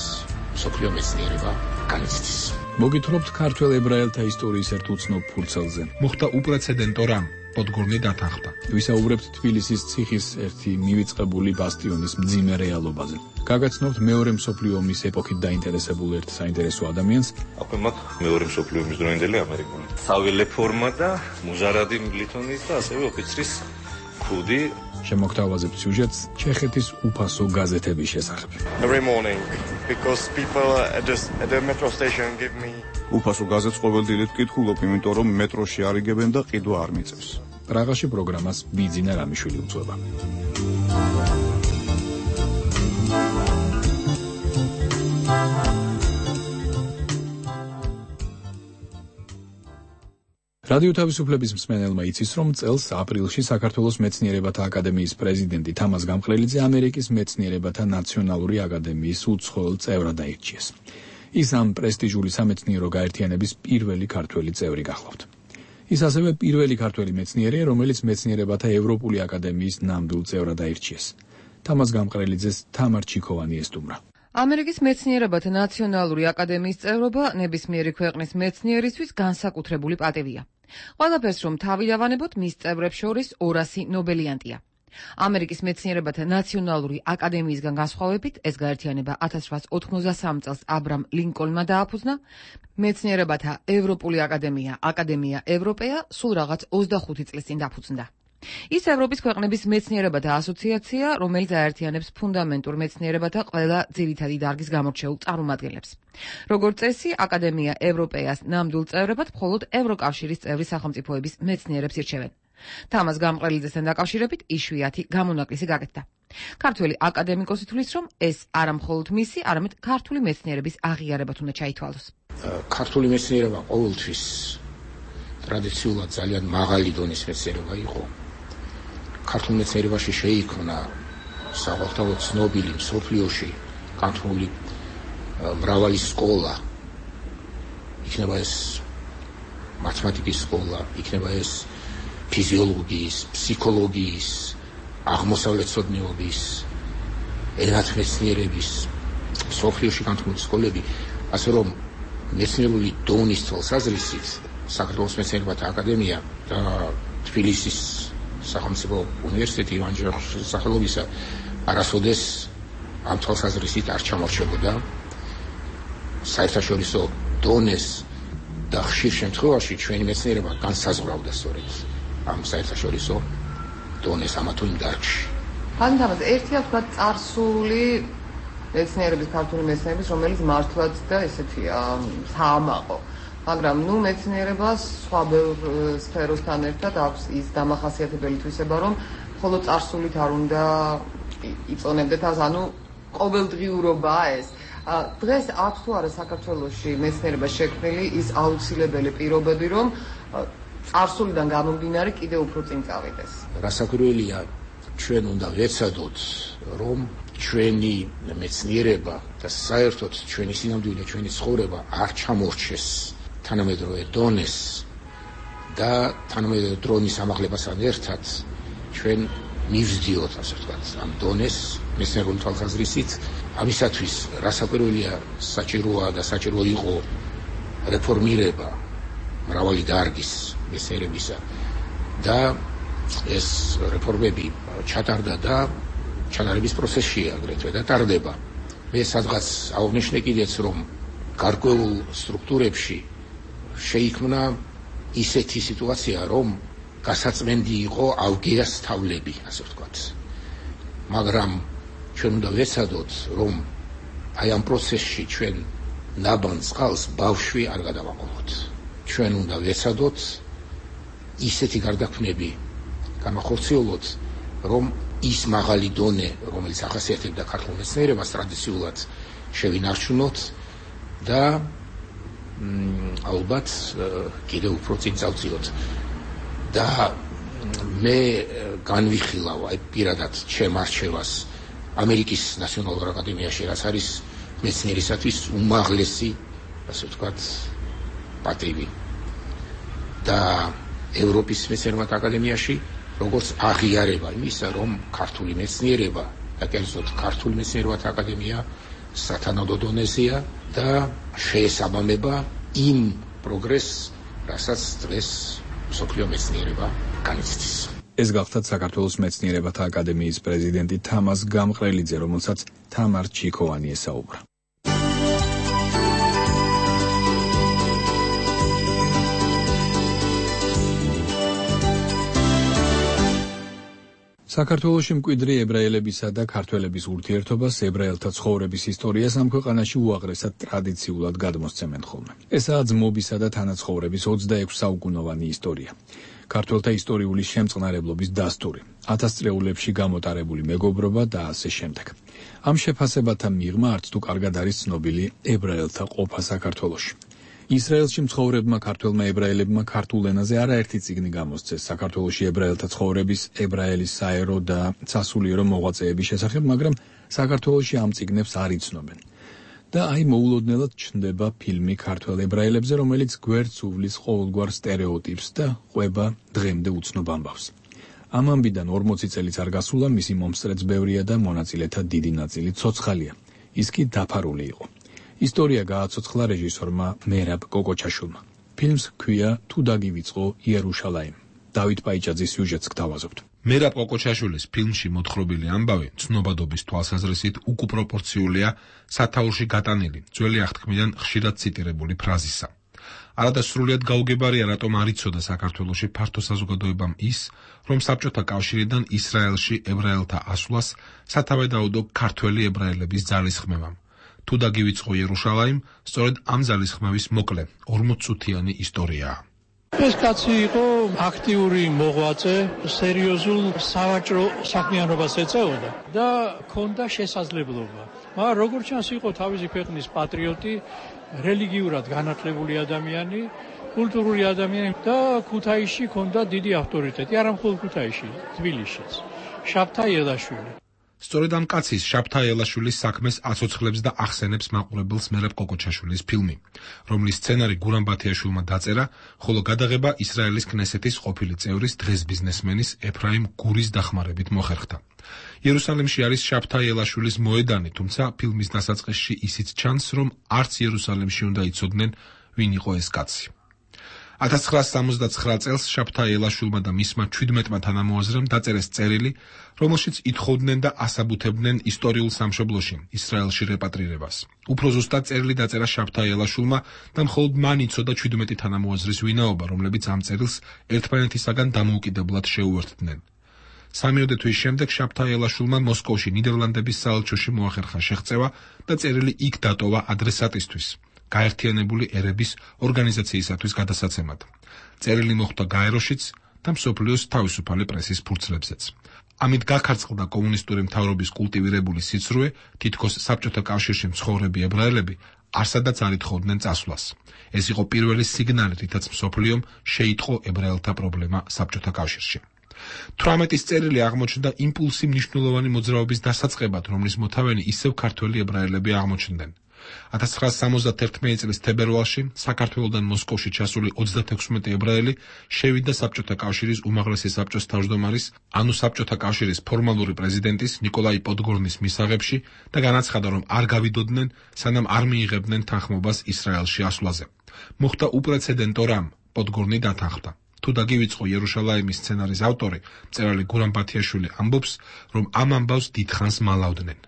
Speaker 5: მსოფლიო მეცნიერება განიცდის.
Speaker 1: მოგითხრობთ ქართველ ებრაელთა ისტორიის ერთ უცნობ ფურცელზე.
Speaker 22: მოხდა უპრეცედენტო რამ. პოდგორნი დათანხმდა.
Speaker 1: ვისაუბრებთ თბილისის ციხის ერთი მივიწყებული ბასტიონის მძიმე რეალობაზე. გაგაცნობთ მეორე მსოფლიო ომის ეპოქით დაინტერესებულ ერთ საინტერესო ადამიანს.
Speaker 23: აქვე მაქვს მეორე მსოფლიო ომის დროინდელი ამერიკული საველე ფორმა და მუზარადი ლითონის და ასევე ოფიცრის ქუდი.
Speaker 1: შემოგთავაზებთ სიუჟეტს ჩეხეთის უფასო გაზეთების შესახებ.
Speaker 24: Every morning because people at the, at the metro station give me
Speaker 6: უფასო გაზეთს ყოველდღიურად ვკითხულობ, იმიტომ რომ მეტროში არიგებენ და ყიდვა არ მიწევს.
Speaker 1: პრაღაში პროგრამას ბიძინა რამიშვილი უძღვება. რადიო თავისუფლების მსმენელმა იცის, რომ წელს აპრილში საქართველოს მეცნიერებათა აკადემიის პრეზიდენტი თამაზ გამყრელიძე ამერიკის მეცნიერებათა ნაციონალური აკადემიის უცხოელ წევრად აირჩიეს. ის ამ პრესტიჟული სამეცნიერო გაერთიანების პირველი ქართველი წევრი გახლავთ. ის ასევე პირველი ქართველი მეცნიერია, რომელიც მეცნიერებათა ევროპული აკადემიის ნამდვილ წევრად აირჩიეს. თამაზ გამყრელიძეს თამარ ჩიქოვანი ესტუმრა.
Speaker 20: ამერიკის მეცნიერებათა ნაციონალური აკადემიის წევრობა ნებისმიერი ქვეყნის მეცნიერისთვის განსაკუთრებული პატივია. ყველაფერს რომ თავი დავანებოთ, მის წევრებს შორის ორასი ნობელიანტია. ამერიკის მეცნიერებათა ნაციონალური აკადემიისგან განსხვავებით, ეს გაერთიანება ათას რვაასა ოთხმოცდასამი წელს აბრამ ლინკოლნმა დააფუძნა, მეცნიერებათა ევროპული აკადემია, აკადემია ევროპეა, სულ რაღაც ოცდახუთი წლის წინ დაფუძნდა. ის ევროპის ქვეყნების მეცნიერებათა ასოციაცია, რომელიც აერთიანებს ფუნდამენტურ მეცნიერებათა ყველა ძირითადი დარგის გამორჩეულ წარმომადგენლებს. როგორც წესი, აკადემია ევროპეას ნამდვილ წევრებად მხოლოდ ევროკავშირის წევრი სახელმწიფოების მეცნიერებს ირჩევენ. თამაზ გამყრელიძესთან დაკავშირებით იშვიათი გამონაკლისი გაკეთდა. ქართველი აკადემიკოსი თვლის, რომ ეს არა მხოლოდ მისი, არამედ ქართული მეცნიერების აღიარებად უნდა ჩაითვალოს.
Speaker 5: ქართული მეცნიერება ყოველთვის ტრადიციულად ძალიან მაღალი დონის მეცნიერება იყო. ქართულ მეცნიერებაში შეიქმნა საყოველთაოდ ცნობილი მსოფლიოში განთქმული მრავალი სკოლა. იქნება ეს მათემატიკის სკოლა, იქნება ეს ფიზიოლოგიის, ფსიქოლოგიის, აღმოსავლეთმცოდნეობის, ენათმეცნიერების, მსოფლიოში განთქმული სკოლები, ასე რომ მეცნიერული დონის თვალსაზრისით საქართველოს მეცნიერებათა აკადემია და თბილისის სახელმწიფო უნივერსიტეტი ივან ჯავახიშვილის სახელობისა არასოდეს ამ თვალსაზრისით არ ჩამორჩებოდა საერთაშორისო დონეს და ხშირ შემთხვევაში ჩვენი მეცნიერება განსაზღვრავდა სწორედ ამ საერთაშორისო დონეს ამა თუ იმ დარგში.
Speaker 20: ხანდახან ერთია თქვა წარსული მეცნიერების, ქართული მეცნიერების, რომელიც მართლაც და ესეთია საამაყო. მაგრამ ნუ მეცნიერებას სხვა ბევრ სფეროსთან ერთად აქვს ის დამახასიათებელი თვისება, რომ მხოლოდ წარსულით არ უნდა იწონებდეთ ას, ანუ ყოველდღიურობაა ეს. დღეს აქვს თუ არა საქართველოში მეცნიერებას შექმნილი ის აუცილებელი პირობები, რომ წარსულიდან გამომდინარე კიდევ უფრო წინ წავიდეს.
Speaker 5: რასაკვირველია, ჩვენ უნდა ვეცადოთ, რომ ჩვენი მეცნიერება და საერთოდ ჩვენი სინამდვილე, ჩვენი ცხოვრება არ ჩამორჩეს თანამედროვე დონეს და თანამედროვე დრონის ამაღლებასთან ერთად ჩვენ მივსდიოთ, ასე ვთქვათ, ამ დონეს მეცნიერული თვალსაზრისით. ამისათვის რასაკვირველია, საჭიროა და საჭირო იყო რეფორმირება მრავალი დარგის მეცნიერებისა და ეს რეფორმები ჩატარდა და ჩატარების პროცესშია აგრეთვე და ტარდება. მე სადღაც აღვნიშნე კიდეც, რომ გარკვეულ სტრუქტურებში შეიქმნა ისეთი სიტუაცია, რომ გასაწმენდი იყო ავგეას თავლები, ასე ვთქვათ. მაგრამ ჩვენ უნდა ვეცადოთ, რომ აი ამ პროცესში ჩვენ ნაბან წყალს ბავშვი არ გადავაყოლოთ. ჩვენ უნდა ვეცადოთ ისეთი გარდაქმნები გამახორციელოთ, რომ ის მაღალი დონე, რომელიც ახასიათებდა ქართულ მეცნიერებას ტრადიციულად შევინარჩუნოთ და ალბათ კიდევ უფრო წინ წავწიოთ. და მე განვიხილავ აი პირადად ჩემ არჩევას ამერიკის ნაციონალურ აკადემიაში, რაც არის მეცნიერისათვის უმაღლესი, ასე ვთქვათ, პატივი. და ევროპის მეცნიერებათა აკადემიაში, როგორც აღიარება იმისა, რომ ქართული მეცნიერება და კერძოდ ქართული მეცნიერებათა აკადემია სათანადო დონეზეა და შეესაბამება იმ პროგრესს, რასაც დღეს მსოფლიო მეცნიერება განიცდის.
Speaker 1: ეს გახლდათ საქართველოს მეცნიერებათა აკადემიის პრეზიდენტი თამაზ გამყრელიძე, რომელსაც თამარ ჩიქოვანი ესაუბრა. საქართველოში მკვიდრი ებრაელებისა და ქართველების ურთიერთობას, ებრაელთა ცხოვრების ისტორიას ამ ქვეყანაში უაღრესად ტრადიციულად გადმოსცემენ ხოლმე. ესაა ძმობისა და თანაცხოვრების ოცდაექვსი საუკუნოვანი ისტორია. ქართველთა ისტორიული შემწყნარებლობის დასტური, ათასწლეულებში გამოტარებული მეგობრობა და ასე შემდეგ. ამ შეფასებათა მიღმა არც თუ კარგად არის ცნობილი ებრაელთა ყოფა საქართველოში. ისრაელში მცხოვრებმა ქართველმა ებრაელებმა ქართულ ენაზე არაერთი წიგნი გამოსცეს საქართველოში ებრაელთა ცხოვრების, ებრაელის საერო და სასულიერო მოღვაწეების შესახებ, მაგრამ საქართველოში ამ წიგნებს არ იცნობენ. და აი მოულოდნელად ჩნდება ფილმი ქართველ ებრაელებზე, რომელიც გვერდს უვლის ყოველგვარ სტერეოტიპს და ყვება დღემდე უცნობ ამბავს. ამ ამბიდან ორმოცი წელიც არ გასულა, მისი მომსწრეც ბევრია და მონაწილეთა დიდი ნაწილი ცოცხალია. ის კი დაფარული იყო. ისტორია გააცოცხლა რეჟისორმა მერაბ კოკოჩაშვილმა. ფილმს ჰქვია თუ დაგივიწყო იერუშალაიმ. დავით პაიჭაძის სიუჟეტს გთავაზობთ.
Speaker 22: მერაბ კოკოჩაშვილის ფილმში მოთხრობილი ამბავი ცნობადობის თვალსაზრისით უკუპროპორციულია სათაურში გატანილი, ძველი აღთქმიდან ხშირად ციტირებული ფრაზისა. არადასრულიად გაუგებარია, რატომ არ იცოდა საქართველოში ფართო საზოგადოებამ ის, რომ საბჭოთა კავშირიდან ისრაელში ებრაელთა ასვლას სათავედაოდო ქართველი ებრაელების ძალისხმევამ. თუ დაგივიწყო იერუშალაიმ, სწორედ ამ ძალისხმევის მოკლე ორმოცწუთიანი ისტორიაა.
Speaker 8: ეს კაცი იყო აქტიური მოღვაწე, სერიოზულ სავაჭრო საქმიანობას ეწეოდა და ჰქონდა შესაძლებლობა. მაგრამ როგორც ჩანს, იყო თავისი ქვეყნის პატრიოტი, რელიგიურად განათლებული ადამიანი, კულტურული ადამიანი და ქუთაისში ჰქონდა დიდი ავტორიტეტი, არა მხოლოდ ქუთაისში, თბილისშიც. შაბთა ელაშვილი.
Speaker 22: სწორედ ამ კაცის შაბთა ელაშვილის საქმეს აცოცხლებს და ახსენებს მაყურებელს მერაბ კოკოჩაშვილის ფილმი, რომლის სცენარი გურამ ბათიაშვილმა დაწერა, ხოლო გადაღება ისრაელის კნესეთის ყოფილი წევრის, დღეს ბიზნესმენის ეფრაიმ გურის დახმარებით მოხერხდა. იერუსალიმში არის შაბთა ელაშვილის მოედანი, თუმცა ფილმის დასაწყისში ისიც ჩანს, რომ არც იერუსალიმში უნდა იცოდნენ, ვინ იყო ეს კაცი. ათას ცხრაასი სამოცდაცხრა წელს შაბთა ელაშვილმა და მისმა ჩვიდმეტმა თანამოაზრემ დაწერეს წერილი, რომელშიც ითხოვდნენ და ასაბუთებდნენ ისტორიულ სამშობლოში, ისრაელში რეპატრირებას. უფრო ზუსტად წერილი დაწერა შაბთა ელაშვილმა და მხოლოდ მან იცოდა ჩვიდმეტი თანამოაზრის ვინაობა, რომლებიც ამ წერილს ერთმანეთისაგან დამოუკიდებლად შეუერთდნენ. სამიოდე თვის შემდეგ შაბთა ელაშვილმა მოსკოვში ნიდერლანდების საელჩოში მოახერხა შეღწევა და წერილი იქ დატოვა ადრესატისთვის, გაერთიანებული ერების ორგანიზაციისათვის გადასაცემად. წერილი მოხვდა გაეროშიც და მსოფლიოს თავისუფალი პრესის ფურცლებზეც. ამით გაქარწყლდა კომუნისტური მთავრობის კულტივირებული სიცრუე, თითქოს საბჭოთა კავშირში მცხოვრები ებრაელები არსადაც არ ითხოვდნენ წასვლას. ეს იყო პირველი სიგნალი, რითაც მსოფლიომ შეიტყო ებრაელთა პრობლემა საბჭოთა კავშირში. თვრამეტის წერილი აღმოჩნდა იმპულსი მნიშვნელოვანი მოძრაობის დასაწყებად, რომლის მოთავენი ისევ ქართველი ებრაელები აღმოჩნდნენ. ათას ცხრაასი სამოცდათერთმეტი წლის თებერვალში საქართველოდან მოსკოვში ჩასული ოცდათექვსმეტი ებრაელი შევიდა საბჭოთა კავშირის უმაღლესი საბჭოს თავმჯდომარის, ანუ საბჭოთა კავშირის ფორმალური პრეზიდენტის ნიკოლაი პოდგორნის მისაღებში და განაცხადა, რომ არ გავიდოდნენ, სანამ არ მიიღებდნენ თანხმობას ისრაელში ასვლაზე. მოხდა უპრეცედენტო რამ, პოდგორნი დათანხმდა. თუ დაგივიწყო იერუშალაიმის სცენარის ავტორი, მწერალი გურამ ბათიაშვილი ამბობს, რომ ამ ამბავს დიდხანს მალავდნენ.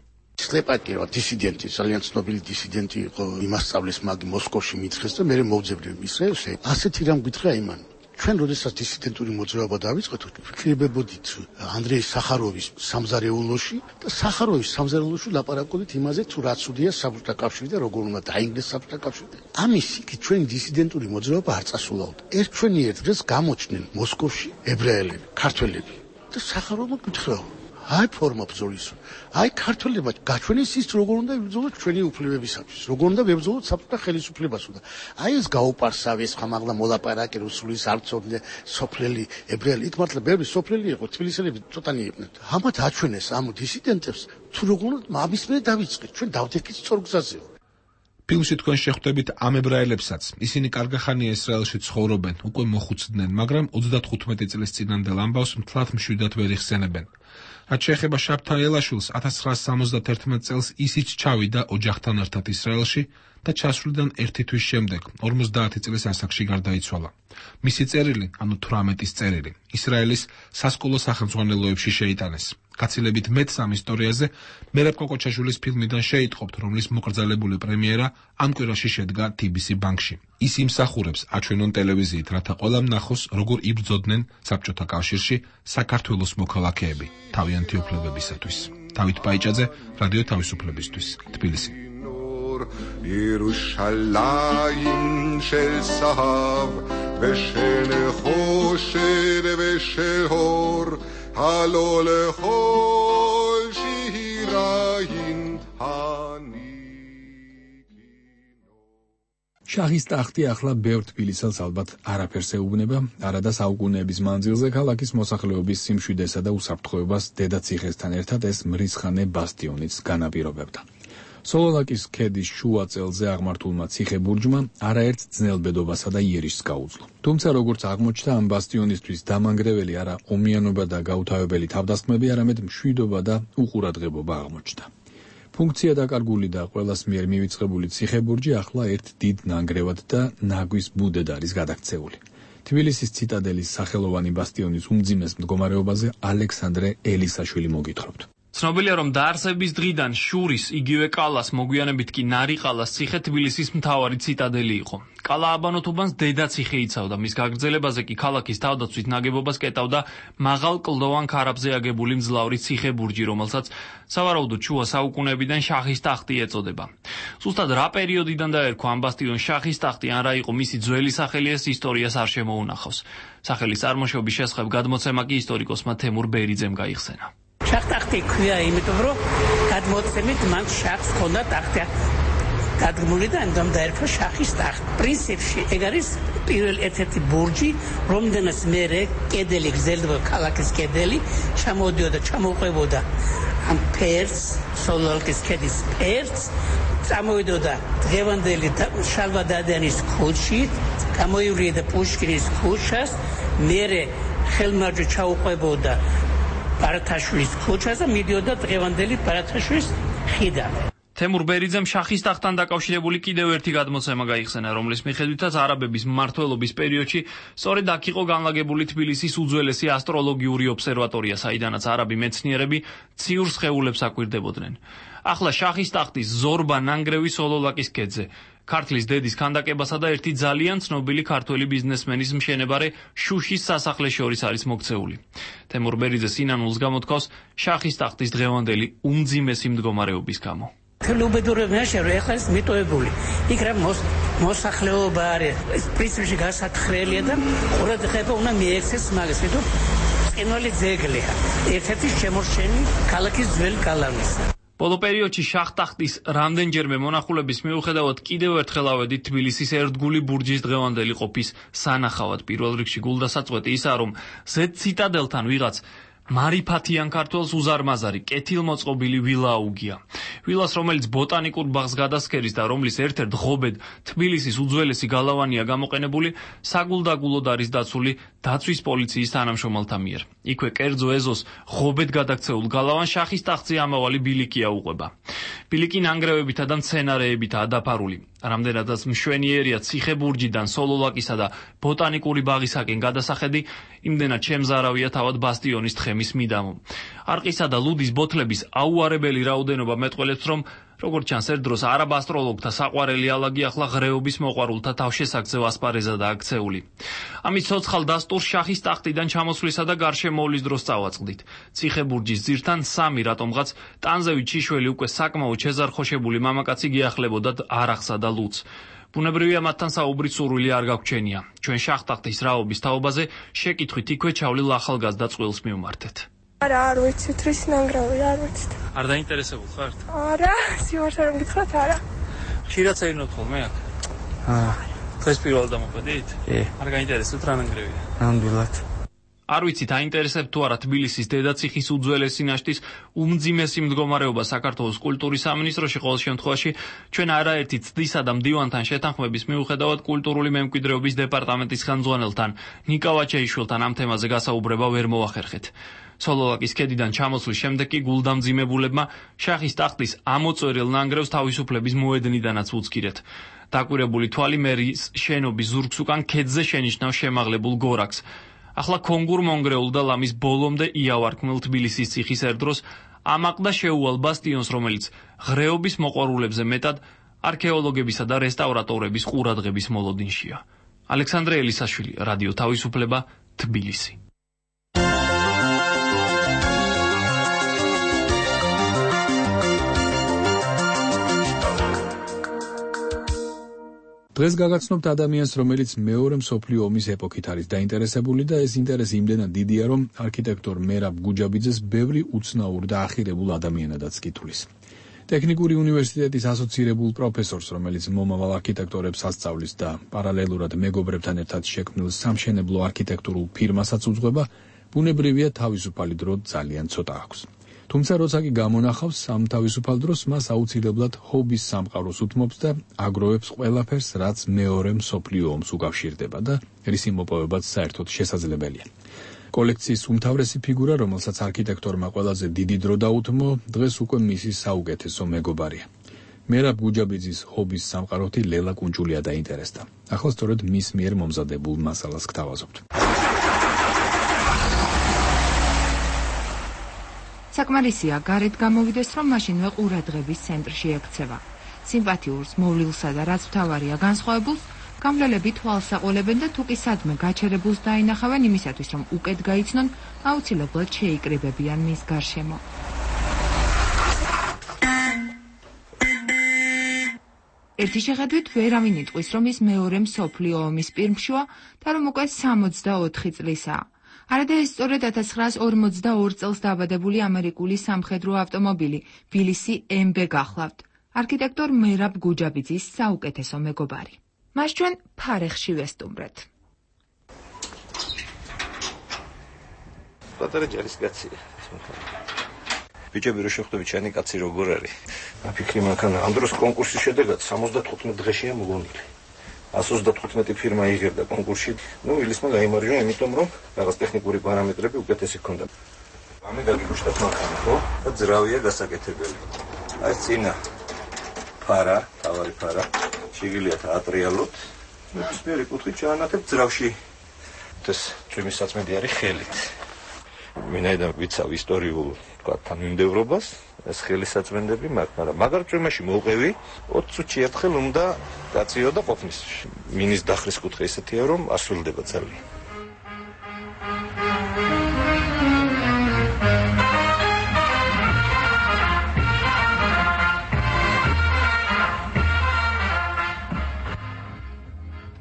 Speaker 21: სლეპაკი რა დისიდენტი, ძალიან ცნობილი დისიდენტი იყო, იმასწავლის მაგი მოსკოვში მიცხეს და მე მოვძებდნენ ისრაელში. ასეთი რამ გითხრა იმან. ჩვენ როდესაც დისიდენტური მოძრაობა დავიწყეთ, ვფიქრებოდით ანდრეი სახაროვის სამზარეულოში და სახაროვის სამზარეულოში ლაპარაკობდით იმაზე, თუ რა ცუდია საბჭოთა კავშირი და როგორ უნდა დაინგრეს საბჭოთა კავშირი. ამის იქით ჩვენი დისიდენტური მოძრაობა არ წასულაოდ. ერთ ჩვენი ერთ დღეს გამოჩნდნენ მოსკოვში ებრაელები, ქართველები.
Speaker 2: და სახაროვმა გითხრა აი ფორმა ბრძოლის აი ქართველებმა გაჩვენეს ის როგორ უნდა იბრძოლოს ჩვენი უფლებებისათვის როგორ უნდა ვებრძოლოთ საბჭოთა ხელისუფლებას და აი ეს გაუპარსავეს ხამაღლა მოლაპარაკე რუსულის არცოდნე სოფლელი ებრაელი იქ მართლა ბევრი სოფლელი იყო თბილისელები ცოტანი იყვნენ ამათ აჩვენეს ამ დისიდენტებს თუ როგორ უნდა ამის მე დავიწყეთ ჩვენ დავდექით სწორგზაზე
Speaker 22: ფილმში თქვენ შეხვდებით ამ ებრაელებსაც ისინი კარგახანია ისრაელში ცხოვრობენ უკვე მოხუცდნენ მაგრამ ოცდათხუთმეტი წლის წინანდელ ამბავს მთლად მშვიდად ვერ იხსენებენ რაც შეეხება შაბთა ელაშვილს ათას ცხრაასი სამოცდათერთმეტ წელს ისიც ჩავიდა ოჯახთან ერთად ისრაელში და ჩასვლიდან ერთი თვის შემდეგ ორმოცდაათი წლის ასაკში გარდაიცვალა. მისი წერილი, ანუ თვრამეტის წერილი, ისრაელის სასკოლო სახელმძღვანელოებში შეიტანეს. გაცილებით მეტს ამ ისტორიაზე მერაბ კოკოჩაშვილის ფილმიდან შეიტყობთ, რომლის მოკრძალებული პრემიერა ამ კვირაში შედგა T B C ბანკში. ის იმსახურებს აჩვენონ ტელევიზიით, რათა ყველამ ნახოს, როგორ იბრძოდნენ საბჭოთა კავშირში საქართველოს მოქალაქეები თავიანთი უფლებებისათვის. დავით პაიჭაძე, რადიო თავისუფლებისთვის, თბილისი.
Speaker 9: ירושלים של זהב ושל חושר ושל אור הלא לכל שירין
Speaker 1: შაჰის ტახტი ახლა ბევრ თბილისელს ალბათ არაფერს ეუბნება, არადა საუკუნეების მანძილზე ქალაქის მოსახლეობის სიმშვიდესა და უსაფრთხოებას დედაციხესთან ერთად ეს მრისხანე ბასტიონიც განაპირობებდა. სოლოლაკის ქედის შუა წელზე აღმართულმა ციხე-ბურჯმა არაერთ ძნელბედობასა და იერიშს გაუძლო. თუმცა როგორც აღმოჩნდა, ამ ბასტიონისთვის დამანგრეველი არა ომიანობა და გაუთავებელი თავდასხმები, არამედ მშვიდობა და უყურადღებობა აღმოჩნდა. ფუნქცია დაკარგული და ყველას მიერ მივიწყებული ციხე-ბურჯი ახლა ერთ დიდ ნანგრევად და ნაგვის ბუდედ არის გადაქცეული. თბილისის ციტადელის სახელოვანი ბასტიონის უმძიმეს მდგომარეობაზე ალექსანდრე ელისაშვილი მოგითხრობთ.
Speaker 11: ცნობილია, რომ დაარსების დღიდან შურის იგივე კალას მოგვიანებით კი ნარიყალას ციხე თბილისის მთავარი ციტადელი იყო. კალა აბანოთუბანს დედაციხე იცავდა, მის გაგრძელებაზე კი ქალაქის თავდაცვით ნაგებობას კეტავდა მაღალ კლდოვან ქარაფზე აგებული მძლავრი ციხე-ბურჯი, რომელსაც სავარაუდოდ შუა საუკუნეებიდან შაჰის ტახტი ეწოდება. ზუსტად რა პერიოდიდან დაერქვა ამ ბასტიონს შაჰის ტახტი, ან რა იყო მისი ძველი სახელი, ეს ისტორიას არ შემოუნახავს. სახელის წარმოშობის შესახებ გადმოცემა კი ისტორიკოსმა თემურ ბერიძემ გაიხსენა.
Speaker 10: შახტახტი ქვია, იმიტომ რომ გადმოცემით მან შახს ჰქონდა ტახტი დადგმული და ამიტომ დაერქვა შახის ტახტი. პრინციპში ეგ არის პირველ ერთ-ერთი ბურჯი, რომდენაც მერე კედელი გრძელდება ქალაქის კედელი, ჩამოდიოდა, ჩამოყვებოდა ამ ფერს, სოლოლაკის ქედის ფერს, წამოვიდოდა დღევანდელი შალვა დადიანის ქუჩი, გამოივლიდა პუშკინის ქუჩას, მერე ხელმარჯვე ჩაუყვებოდა ბარათაშვილის ქუჩას და მიდიოდა დღევანდელი ბარათაშვილის ხიდამდე.
Speaker 11: თემურ ბერიძემ შაჰის ტახტთან დაკავშირებული კიდევ ერთი გადმოცემა გაიხსენა, რომლის მიხედვითაც არაბების მმართველობის პერიოდში სწორედ აქ იყო განლაგებული თბილისის უძველესი ასტროლოგიური ობსერვატორია, საიდანაც არაბი მეცნიერები ციურ სხეულებს აკვირდებოდნენ. ახლა შაჰის ტახტის ზორბა ნანგრევი სოლოლაკის ქედზე. ქართლის დედის ქანდაკებასა და ერთი ძალიან ცნობილი ქართველი ბიზნესმენის მშენებარე შუშის სასახლეს შორის არის მოქცეული. თემურ ბერიძე სინანულს გამოთქვავს შაჰის ტახტის დღევანდელი უმძიმესი მდგომარეობის გამო.
Speaker 10: თელუბედურებაში რა ახლა ის მიტოვებული. იქ რა მოსახლეობა არის, ეს პრინციპში გასათხრელია და ყურადღება უნდა მიექცეს მაგას, იმიტომ წინვალი ძეგლია. ერთ-ერთი შემორჩენი ქალაქის ძველი გალავნისა.
Speaker 11: ბოლო პერიოდში შაჰ-ტახტის რამდენჯერმე მონახულების მიუხედავად კიდევ ერთხელ ავედით თბილისის ერთგული ბურჯის დღევანდელი ყოფის სანახავად. პირველ რიგში გულდასაწყვეტი ისაა, რომ ზედ ციტადელთან ვიღაც მარიფათიან ქართველს უზარმაზარი კეთილმოწყობილი ვილა აუგია. ვილას, რომელიც ბოტანიკურ ბაღს გადასქერის და რომლის ერთ-ერთ ღობედ თბილისის უძველესი გალავანია გამოყენებული, საგულდაგულოდ არის დაცული დაცვის პოლიციის თანამშრომელთა მიერ. იქვე კერძო ეზოს ღობედ გადაქცეულ გალავანს შაჰის ტახტზე ამავალი ბილიკი აუყვება. ბილიკი ნანგრევებითა და მცენარეებითაა დაფარული. რამდენადაც მშვენიერია ციხე-ბურჯიდან სოლოლაკისა და ბოტანიკური ბაღისაკენ გადასახედი, იმდენად შემზარავია თავად ბასტიონის თხემის მიდამო. არყისა და ლუდის ბოთლების აუარებელი რაოდენობა მეტყველებს, რომ როგორც ჩანს, ერთ დროს არაბ ასტროლოგთა საყვარელი ალაგი ახლა ღრეობის მოყვარულთა თავშესაგზევ ასპარეზადაა ქცეული. ამის ცოცხალ დასტურს შაჰის ტახტიდან ჩამოსვლისა და გარშემოვლის დროს წავაწყდით. ციხე-ბურჯის ძირთან სამი რატომღაც ტანზევით შიშველი უკვე საკმაოდ შეზარხოშებული მამაკაცი გიახლებოდათ არახსა და ლუც. ბუნებრივია მათთან საუბრის სურვილი არ გაგვჩენია. ჩვენ შახტახტის რაობის თაობაზე შეკითხვით იქვე ჩავლილ ახალგაზრდა წყვილს მივმართეთ.
Speaker 7: არა, არ ვიცით, რის ნანგრევი, არ ვიცით.
Speaker 11: არ დაინტერესებულ ხართ?
Speaker 7: არა, სიმართლე რომ გითხრათ, არა.
Speaker 11: ხშირად წერინოთ ხოლმე აქ?
Speaker 12: აა.
Speaker 11: დღეს პირველად დამოყედით?
Speaker 12: კი.
Speaker 11: არ გაინტერესებთ რა ნანგრევია?
Speaker 12: ნამდვილად.
Speaker 11: არ ვიცით, აინტერესებთ თუ არა თბილისის დედაციხის უძველესი ნაშთის უმძიმესი მდგომარეობა საქართველოს კულტურის სამინისტროში, ყოველ შემთხვევაში ჩვენ არაერთი ცდისა და მდივანთან შეთანხმების მიუხედავად კულტურული მემკვიდრეობის დეპარტამენტის ხელმძღვანელთან ნიკა ვაჩეიშვილთან ამ თემაზე გასაუბრება ვერ მოახერხეთ. სოლოლაკის ქედიდან ჩამოსვლის შემდეგ კი გულდამძიმებულებმა შახის ტახტის ამოწვერილ ნანგრევს თავისუფლების მოედნიდანაც უცქირეთ. დაკვირებული თვალი მერის შენობის ზურგს უკან ქედზე შენიშნავს შემაღლებულ გორაკს. ახლა კონგურ მონგრეულ და ლამის ბოლომდე იავარქმნილ თბილისის ციხის ერდროს ამაყდა შეუვალ ბასტიონს, რომელიც ღრეობის მოყვარულებზე მეტად არქეოლოგებისა და რესტავრატორების ყურადღების მოლოდინშია. ალექსანდრე ელისაშვილი, რადიო თავისუფლება, თბილისი.
Speaker 1: დღეს გაგაცნობთ ადამიანს, რომელიც მეორე მსოფლიო ომის ეპოქით არის დაინტერესებული და ეს ინტერესი იმდენად დიდია, რომ არქიტექტორ მერაბ გუჯაბიძეს ბევრი უცნაურ და ახირებულ ადამიანადაც კითხulis. ტექნიკური უნივერსიტეტის ასოცირებულ პროფესორს, რომელიც მომავალ არქიტექტორებს ასწავლის და პარალელურად მეგობრებთან ერთად შექმნილ სამშენებლო არქიტექტურულ ფირმასაც უძღვება, ბუნებრივია თავისუფალი დრო ძალიან ცოტა აქვს. თუმცა როცა კი გამონახავს ამ თავისუფალ დროს, მას აუცილებლად ჰობის სამყაროს უთმობს და აგროვებს ყველაფერს, რაც მეორე მსოფლიო ომს უკავშირდება და რისი მოპოვებაც საერთოდ შესაძლებელია. კოლექციის უმთავრესი ფიგურა, რომელსაც არქიტექტორმა ყველაზე დიდი დრო დაუთმო, დღეს უკვე მისი საუკეთესო მეგობარია. მერაბ გუჯაბიძის ჰობის სამყაროთი ლელა კუნჭულია დაინტერესდა. ახლა სწორედ მის მიერ მომზადებულ მასალას გთავაზობთ.
Speaker 13: საკმარისია გარეთ გამოვიდეს, რომ მაშინვე ყურადღების ცენტრში ექცევა. სიმპათიურს, მოვლილსა და რაც მთავარია განსხვავებულს, გამლელები თვალს აყოლებენ და თუ კი სადმე გაჩერებულს დაინახავენ იმისათვის, რომ უკეთ გაიცნონ, აუცილებლად შეიკრიბებიან მის გარშემო. ერთი შეხედვით ვერავინ იტყვის, რომ ის მეორე მსოფლიო ომის პირმშოა და რომ უკვე სამოცდაოთხი წლისაა. არადა ეს სწორედ ათას ცხრაას ორმოცდაორ წელს დაბადებული ამერიკული სამხედრო ავტომობილი ბილისი ემ ბე გახლავთ. არქიტექტორ მერაბ გუჯაბიძის საუკეთესო მეგობარი. მას ჩვენ ფარეხში ვესტუმრეთ.
Speaker 23: პატარა ჯარისკაცია. ბიჭები რო შეხვდები, ჩანი კაცი როგორ არის? აფიქრი მანქანა ამ დროს კონკურსის შედეგად სამოცდათხუთმეტ დღეშია მოგონილი. ას ოცდათხუთმეტი ფირმა იღებდა კონკურსში. ნუ ილისმა გაიმარჯვა, იმიტომ რომ რაღაც ტექნიკური პარამეტრები უკეთესი ჰქონდა. ამე გაგიგუშტათ მანქანა, ხო? და ძრავია გასაკეთებელი. აი წინა ფარა, თავარი ფარა, შიგილიათ ატრიალოთ. ნებისმიერი კუთხით ჩაანათებ ძრავში. ეს ჩემი საწმენდი არის ხელით. მინაიდან ვიცავ ისტორიულ, თქვა, თანმიმდევრობას, ეს ხელისაწმენდები მაქვს, მაგრამ მაგარ წვიმაში მოვყევი, ოცი წუთში ერთხელ უნდა გაწიო და ყოფნის. მინის დახრის კუთხე ისეთია, რომ ასრულდება ძალიან.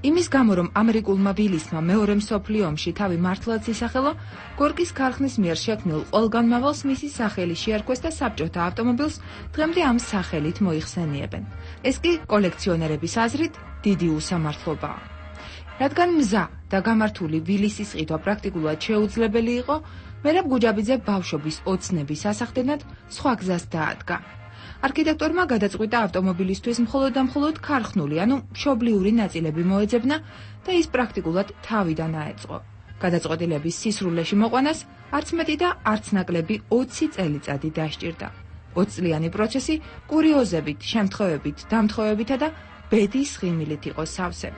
Speaker 13: იმის გამო, რომ ამერიკულმა ბილისმა მეორე მსოფლიო ომში თავი მართლაც ისახელა, გორკის ქარხნის მიერ შექმნილ ყველგანმავალს მისი სახელი შეარქვეს და საბჭოთა ავტომობილს დღემდე ამ სახელით მოიხსენიებენ. ეს კი კოლექციონერების აზრით დიდი უსამართლობაა. რადგან მზა და გამართული ბილისის ყიდვა პრაქტიკულად შეუძლებელი იყო, მერაბ გუჯაბიძე ბავშვობის ოცნების ასახდენად სხვა გზას დაადგა. არქიტექტორმა გადაწყვიტა ავტომობილისთვის მხოლოდ და მხოლოდ ქარხნული, ანუ მშობლიური ნაწილები მოეძებნა და ის პრაქტიკულად თავიდან აეწყო. გადაწყვეტილების სისრულეში მოყვანას არც მეტი და არც ნაკლები ოცი წელიწადი დასჭირდა. ოცწლიანი პროცესი კურიოზებით, შემთხვევებით, დამთხოვებითა და ბედის ხიმილით იყო სავსე.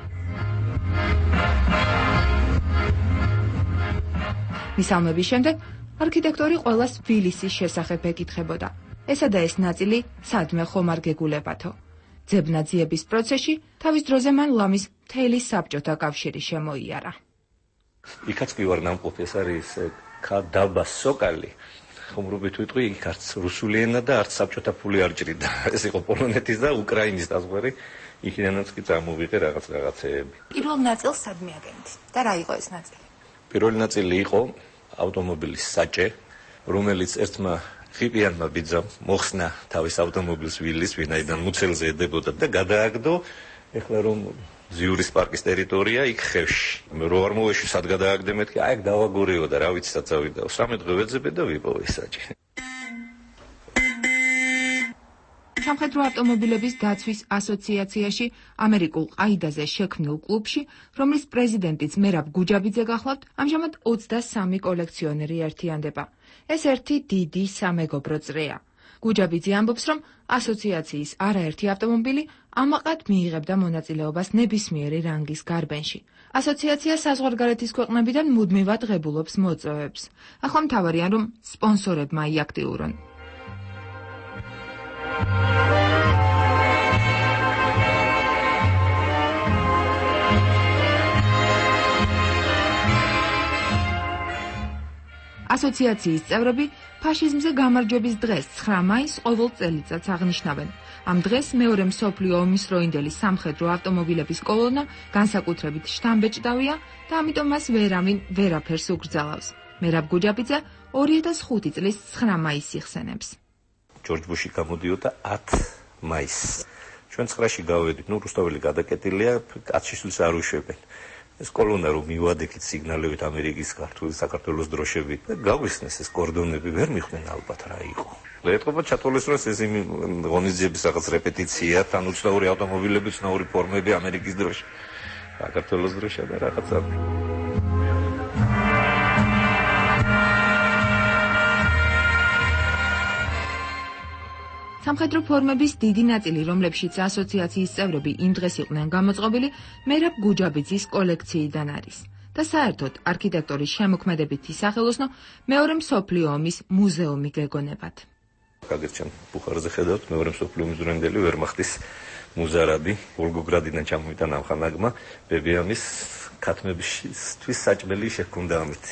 Speaker 13: მისალმების შემდეგ არქიტექტორი ყველას ბილისის შესახებ ეკითხებოდა. ესა და ეს ნაწილი სადმე ხომ არ გეგულებათო. ძებნაძიების პროცესში თავის დროზე მან ლამის მთელი საბჭოთა კავშირი შემოიარა.
Speaker 23: იქაც კი ვარ ნამყოფი, ეს არის ქა დაბა სოკალი. ხუმრობით ვიტყვი, იქ არც რუსული ენა და არც საბჭოთა ფული არ ჭრიდა. ეს იყო პოლონეთის და უკრაინის საზღვარი. იქიდანაც კი წარმოვიღე რაღაც რაღაცეები.
Speaker 13: პირველ ნაწილს სად მიაგენთ და რა იყო ეს ნაწილი?
Speaker 23: პირველი ნაწილი იყო ავტომობილის საჭე, რომელიც ერთმა ხიპიანმა ბიძამ მოხსნა თავის ავტომობილს ვილის, ვინაიდან მუცელზე ედებოდა და გადააგდო. ეხლა რომ ზიურის პარკის ტერიტორია იქ ხევში. მე რო არ მოვეში სად გადააგდე მეთქი, აი აქ დავაგორეო და რა ვიცი სად წავიდა. სამი დღე ვეძებე და ვიპოვე საჭე.
Speaker 13: სამხედრო ავტომობილების დაცვის ასოციაციაში ამერიკულ ყაიდაზე შექმნილ კლუბში, რომლის პრეზიდენტიც მერაბ გუჯაბიძე გახლავთ, ამჟამად ოცდასამი კოლექციონერი ერთიანდება. ეს ერთი დიდი სამეგობრო წრეა. გუჯაბიძე ამბობს, რომ ასოციაციის არაერთი ავტომობილი ამაყად მიიღებდა მონაწილეობას ნებისმიერი რანგის გარბენში. ასოციაცია საზღვარგარეთის ქვეყნებიდან მუდმივად ღებულობს მოწვევებს. ახლა მთავარია, რომ სპონსორებმა იაქტიურონ. ასოციაციის წევრები ფაშიზმზე გამარჯვების დღეს ცხრა მაისს ყოველ წელიწადს აღნიშნავენ. ამ დღეს მეორე მსოფლიო ომის დროინდელი სამხედრო ავტომობილების კოლონა განსაკუთრებით შთამბეჭდავია და ამიტომ მას ვერავინ ვერაფერს უგრძელავს. მერაბ გუჯაბიძე ორი ათას ხუთი წლის ცხრა მაისს იხსენებს.
Speaker 23: ჯორჯ ბუში გამოდიოდა ათი მაისს. ჩვენ ცხრაში გავედით, ნუ რუსთაველი გადაკეტილია, კაცშიშვილს არ უშვებენ. ეს კოლონა რომ მივადექით სიგნალებით ამერიკის ქართული საქართველოს დროშებით და გავიხსნეს ეს კორდონები ვერ მიხვდნენ ალბათ რა იყო. ეტყობა ჩათვალისწინოს ეს იმ ღონისძიების რაღაც რეპეტიცია, თან უცნაური ავტომობილები, უცნაური ფორმები, ამერიკის დროშა, საქართველოს დროშა და რაღაცა.
Speaker 13: სამხედრო ფორმების დიდი ნაწილი, რომლებშიც ასოციაციის წევრები იმ დღეს იყვნენ გამოწყობილი, მერაბ გუჯაბიძის კოლექციიდან არის. და საერთოდ არქიტექტორის შემოქმედებითი სახელოსნო მეორე მსოფლიო ომის მუზეუმი გეგონებათ.
Speaker 23: კაგერჩან ბუხარზე ხედავთ მეორე მსოფლიო ომის დროინდელი ვერმახტის მუზარადი, ვოლგოგრადიდან ჩამოვიდა ნამხანაგმა, ბებიამის ქათმებისთვის საჭმელი შეჰქონდა ამით.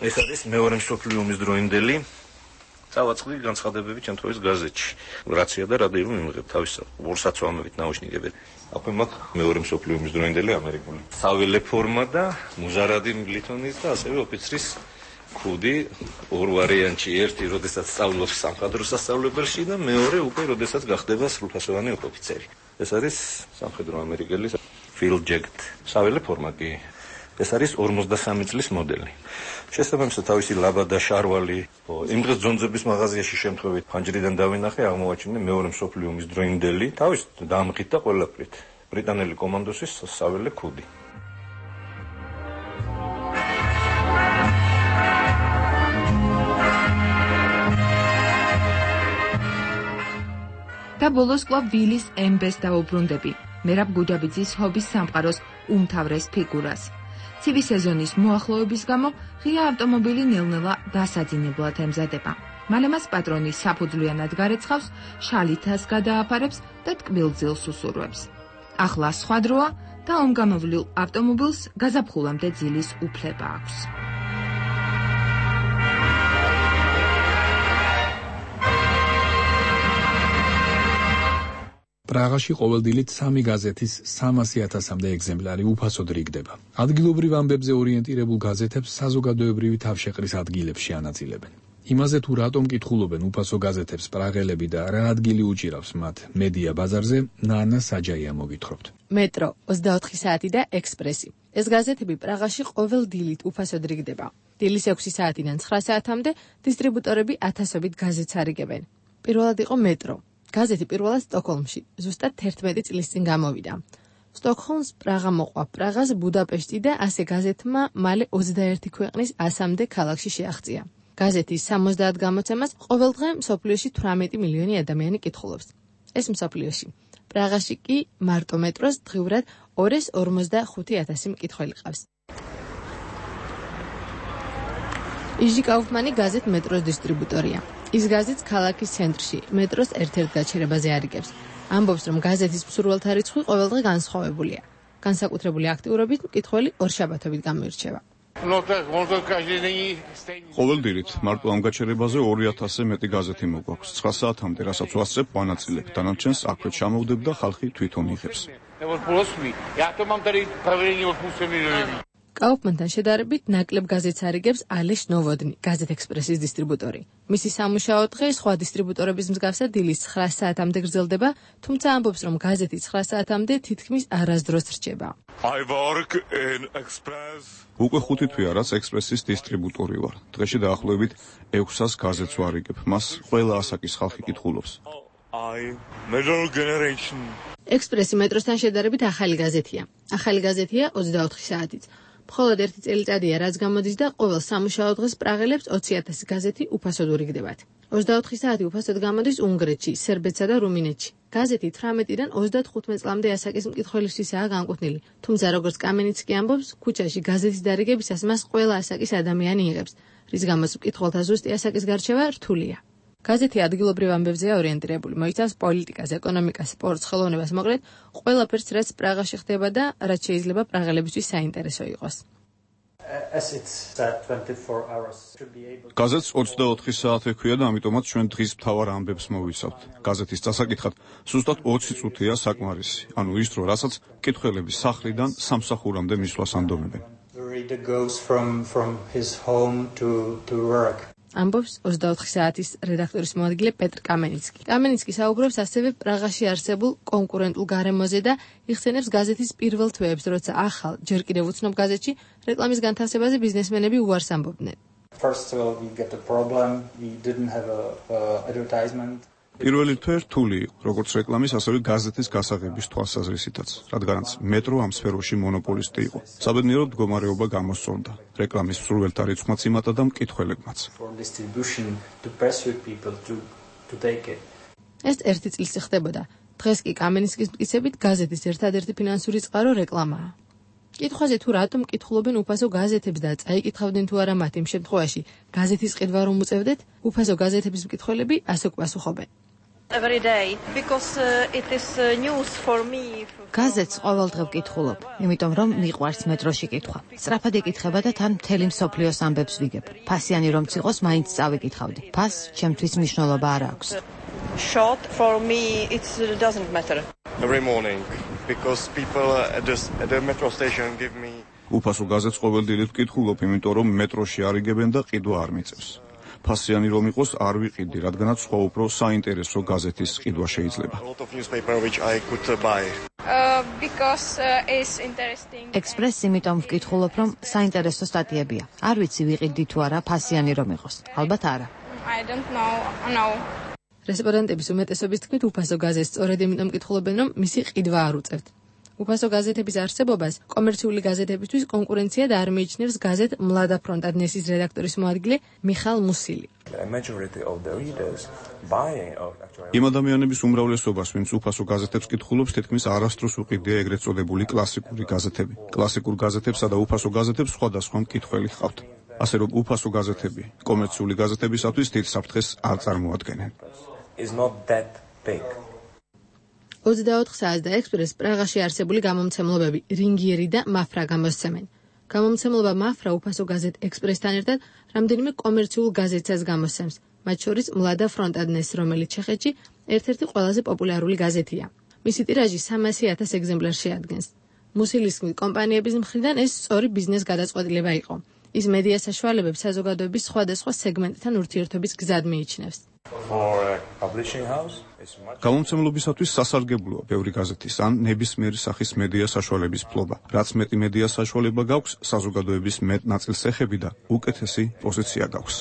Speaker 23: ეს არის მეორე მსოფლიო ომის დროინდელი წავაწყდი განცხადებები ჩემთვის გაზეთში. რაცია და რადიო მიმიღებ თავის ორსაცვამებით ნაუშნიკებით. აქვე მაქვს მეორე მსოფლიო ომის დროინდელი ამერიკული საველე ფორმა და მუზარადი ლითონის და ასევე ოფიცრის ქუდი ორ ვარიანტში. ერთი, როდესაც სწავლობს სამხედრო სასწავლებელში და მეორე უკვე როდესაც გახდება სრულფასოვანი ოფიცერი. ეს არის სამხედრო ამერიკელის field jacket. საველე ფორმა კი. ეს არის ორმოცდასამი წლის მოდელი. შესაბამისად თავისი ლაბადა შარვალი იმ დღეს ძონძების მაღაზიაში შემთხვევით ფანჯრიდან დავინახე, აღმოაჩინე მეორე მსოფლიო ომის დროინდელი, თავის დამღით და ყველაფრით. ბრიტანელი კომანდოსის საველე ქუდი.
Speaker 13: და ბოლოს კვლავ ვილის ემბეს დაუბრუნდები, მერაბ გუჯაბიძის ჰობის სამყაროს უმთავრეს ფიგურას. ცივი სეზონის მოახლოების გამო ღია ავტომობილი ნელ-ნელა დასაძინებლად ემზადება. მალე მას პატრონი საფუძვლიანად გარეცხავს, შალითას გადააფარებს და ტკბილძილს უსურვებს. ახლა სხვა დროა და ომგამოვლილ ავტომობილს გაზაფხულამდე ძილის უფლება აქვს.
Speaker 1: პრაღაში ყოველდილით სამი გაზეთის სამასი ათასამდე ეგზემპლარი უფასოდ რიგდება. ადგილობრივ ამბებზე ორიენტირებულ გაზეთებს საზოგადოებრივი თავშეყრის ადგილებში ანაწილებენ. იმაზე თუ რატომ კითხულობენ უფასო გაზეთებს პრაღელები და რა ადგილი უჭირავს მათ მედია ბაზარზე, ნანა საჯაია მოგითხრობთ.
Speaker 3: მეტრო, ოცდაოთხი საათი და ექსპრესი. ეს გაზეთები პრაღაში ყოველ დილით უფასოდ რიგდება. დილის ექვსი საათიდან ცხრა საათამდე დისტრიბუტორები ათასობით გაზეთს არიგებენ. პირველად იყო მეტრო. გაზეთი პირველად სტოკჰოლმში, ზუსტად თერთმეტი წლის წინ გამოვიდა. სტოკჰოლმს პრაღა მოყვა, პრაღას ბუდაპეშტი და ასე გაზეთმა მალე ოცდაერთი ქვეყნის ასამდე ქალაქში შეაღწია. გაზეთის სამოცდაათ გამოცემას ყოველდღე მსოფლიოში თვრამეტი მილიონი ადამიანი კითხულობს. ეს მსოფლიოში. პრაღაში კი მარტო მეტროს დღიურად ორ ას ორმოცდახუთი ათასი მკითხველი ყავს. იჟი კაუფმანი გაზეთ მეტროს დისტრიბუტორია. ის გაზეთს ქალაქის ცენტრში, მეტროს ერთ-ერთ გაჩერებაზე არიგებს. ამბობს, რომ გაზეთის მსურველთა რიცხვი ყოველდღე განსხვავებულია. განსაკუთრებული აქტიურობით მკითხველი ორ შაბათობით გამოირჩევა.
Speaker 6: ყოველდღიურად მარტო ამ გაჩერებაზე ორი ათასზე მეტი გაზეთი მოგვაქვს. ცხრა საათამდე, რასაც ვასწრებ, ვანაწილებ. დანარჩენს აქვე ჩამოვდებ და ხალხი თვითონ იღებს.
Speaker 3: კაუფმანთან შედარებით ნაკლებ გაზეთს არიგებს ალეშ ნოვოდნი, გაზეთ ექსპრესის დისტრიბუტორი. მისი სამუშაო დღე სხვა დისტრიბუტორების მსგავსად დილის ცხრა საათამდე გრძელდება, თუმცა ამბობს, რომ გაზეთი ცხრა საათამდე თითქმის არასდროს რჩება.
Speaker 6: I work in Express. უკვე ხუთი თვეა, რაც ექსპრესის დისტრიბუტორი ვარ. დღეში დაახლოებით ექვსას გაზეთს ვარიგებ. მას ყველა ასაკის ხალხი კითხულობს.
Speaker 24: I middle generation.
Speaker 3: ექსპრესი მეტროსთან შედარებით ახალი გაზეთია. ახალი გაზეთია ოცდაოთხი საათით. მხოლოდ ერთი წელიწადია, რაც გამოდის და ყოველ სამუშაო დღეს პრაღელებს ოცი ათასი გაზეთი უფასოდ ურიგდებათ. ოცდაოთხი საათი უფასოდ გამოდის უნგრეთში, სერბეთსა და რუმინეთში. გაზეთი თვრამეტიდან ოცდათხუთმეტ წლამდე ასაკის მკითხველისთვისაა განკუთვნილი. თუმცა როგორც კამენიცკი ამბობს, ქუჩაში გაზეთის დარიგებისას მას ყველა ასაკის ადამიანი იღებს, რის გამოც მკითხველთა ზუსტი ასაკის გარჩევა რთულია. გაზეთი ადგილობრივ ამბებზეა ორიენტირებული, მოიცავს პოლიტიკას, ეკონომიკას, სპორტს, ხელოვნებას, მოკლედ ყველაფერს, რაც პრაღაში ხდება და რაც შეიძლება პრაღელებისთვის საინტერესო იყოს.
Speaker 6: გაზეთს ოცდაოთხი საათი ჰქვია და ამიტომაც ჩვენ დღის მთავარ ამბებს მოვიცავთ. გაზეთის წასაკითხად ზუსტად ოცი წუთია საკმარისი, ანუ ის დრო, რასაც მკითხველები სახლიდან სამსახურამდე მისვლას ანდომებენ.
Speaker 3: ამბობს ოცდაოთხი საათის რედაქტორის მოადგილე პეტრ კამენიცკი. კამენიცკი საუბრობს ასევე პრაღაში არსებულ კონკურენტულ გარემოზე და იხსენებს გაზეთის პირველ თვეებს, როცა ახალ, ჯერ კიდევ უცნობ გაზეთში რეკლამის განთავსებაზე ბიზნესმენები უარს ამბობდნენ.
Speaker 6: პირველი თვე რთული იყო, როგორც რეკლამის, ასევე გაზეთის გასაღების თვალსაზრისითაც, რადგანაც მეტრო ამ სფეროში მონოპოლისტი იყო. საბედნიეროდ მდგომარეობა გამოსწონდა. რეკლამის მსურველთა რიცხვმაც იმატა და მკითხველებმაც.
Speaker 3: ეს ერთი წლის ხდებოდა. დღეს კი კამენიცკის მტკიცებით გაზეთის ერთადერთი ფინანსური წყარო რეკლამაა. კითხვაზე თუ რატომ კითხულობენ უფასო გაზეთებს და წაიკითხავდნენ თუ არა მათ იმ შემთხვევაში გაზეთის ყიდვა რომ უწევდეთ, უფასო გაზეთების მკითხველები ასე გვპასუხობენ.
Speaker 12: Every day because uh, it is uh, news for me.
Speaker 14: გაზეთს ყოველდღე ვკითხულობ, იმიტომ რომ მიყვარს მეტროში კითხვა. სწრაფად ეკითხება და თან მთელი მსოფლიოს ამბებს ვიგებ. ფასიანი რომც იყოს, მაინც წავიკითხავდი. ფასს ჩემთვის მნიშვნელობა არ აქვს.
Speaker 12: Short for me it doesn't matter.
Speaker 24: Every morning because people at the, at the metro station give me
Speaker 6: უფასო გაზეთს ყოველდღიურად ვკითხულობ, იმიტომ რომ მეტროში არიგებენ და ყიდვა არ მიწევს. ფასიანი რომ იყოს, არ ვიყიდი, რადგანაც სხვა უფრო საინტერესო გაზეთის ყიდვა შეიძლება.
Speaker 14: ექსპრესს იმიტომ ვკითხულობ, რომ საინტერესო სტატიებია. არ ვიცი ვიყიდი თუ არა ფასიანი რომ იყოს. ალბათ არა.
Speaker 7: I don't know. No.
Speaker 3: რესპონდენტების უმეტესობის თქმით, უფასო გაზეთს სწორედ იმიტომ კითხულობენ, რომ მისი ყიდვა არ უწევთ. უფასო გაზეთების არსებობას კომერციული გაზეთებისთვის კონკურენცია და არ მიიჩნევს გაზეთ მლადა ფრონტად ნესის რედაქტორის მოადგილე მიხალ მუსილი.
Speaker 6: იმ ადამიანების უმრავლესობას, ვინც უფასო გაზეთებს კითხულობს, თითქმის არასდროს უყიდია ეგრეთ წოდებული კლასიკური გაზეთები. კლასიკურ გაზეთებსა და უფასო გაზეთებს სხვადასხვა მკითხველი ჰყავთ. ასე რომ უფასო გაზეთები კომერციული გაზეთებისათვის დიდ საფრთხეს არ წარმოადგენენ.
Speaker 3: ოცდაოთხ საათს და ექსპრეს პრაღაში არსებული გამომცემლობები რინგიერი და მაფრა გამოსცემენ. გამომცემლობა მაფრა უფასო გაზეთ ექსპრესთან ერთად რამდენიმე კომერციულ გაზეთსაც გამოსცემს, მათ შორის მლადა ფრონტადნეს, რომელიც ჩეხეთში ერთ-ერთი ყველაზე პოპულარული გაზეთია. მისი ტირაჟი სამასი ათას ეგზემპლარს შეადგენს. მუსილის კომპანიების მხრიდან ეს სწორი ბიზნეს გადაწყვეტილება იყო. ის მედია საშუალებებს საზოგადოების სხვადასხვა სეგმენტთან ურთიერთობის გზად მიიჩნევს.
Speaker 6: გამომცემლობისათვის სასარგებლოა ბევრი გაზეთის ან ნებისმიერი სახის მედია საშუალების ფლობა. რაც მეტი მედია საშუალება გაქვს, საზოგადოების მეტ ნაწილს ეხები და უკეთესი პოზიცია გაქვს.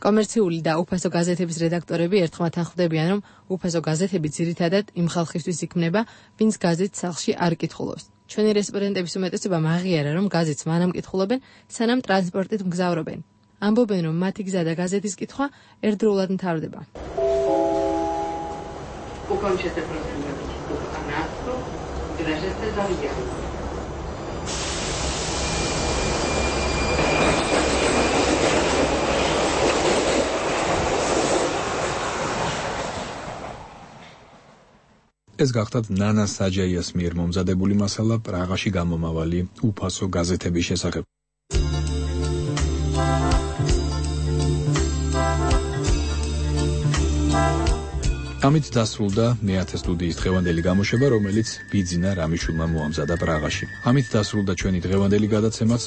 Speaker 3: კომერციული და უფასო გაზეთების რედაქტორები ერთხმათ ხვდებიან, რომ უფასო გაზეთები ძირითადად იმ ხალხისთვის იქმნება, ვინც გაზეთს სახლში არ კითხულობს. ჩვენი რესპონდენტების უმეტესობა მაღიარა, რომ გაზეთს მანამ კითხულობენ, სანამ ტრანსპორტით მგზავრობენ. ამბობენ, რომ მათი გზა და გაზეთის კითხვა ერთდროულად მთავრდება.
Speaker 1: ეს გახდათ ნანა საჯაიას მიერ მომზადებული მასალა პრაღაში გამომავალი უფასო გაზეთების შესახებ. ამით დასრულდა მეათე სტუდიის დღევანდელი გამოშვება, რომელიც ბიძინა რამიშულმა მოამზადა პრაღაში. ამით დასრულდა ჩვენი დღევანდელი გადაცემაც.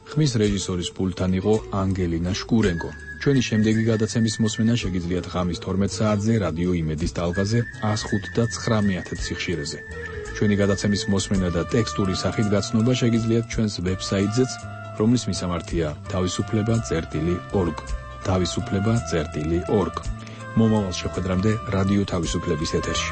Speaker 1: ხმის რეჟისორის პულტთან იყო ანგელინა შკურენკო. ჩვენი შემდეგი გადაცემის მოსმენა შეგიძლიათ ღამის თორმეტ საათზე რადიო იმედის ტალღაზე one oh five და nine სიხშირეზე. ჩვენი გადაცემის მოსმენა და ტექსტური სახით გაცნობა შეგიძლიათ ჩვენს ვებსაიტზეც, რომლის მისამართია თავისუფლება წერტილი org. თავისუფლება წერტილი org. მომავალ შეხვედრამდე რადიო თავისუფლების ეთერში.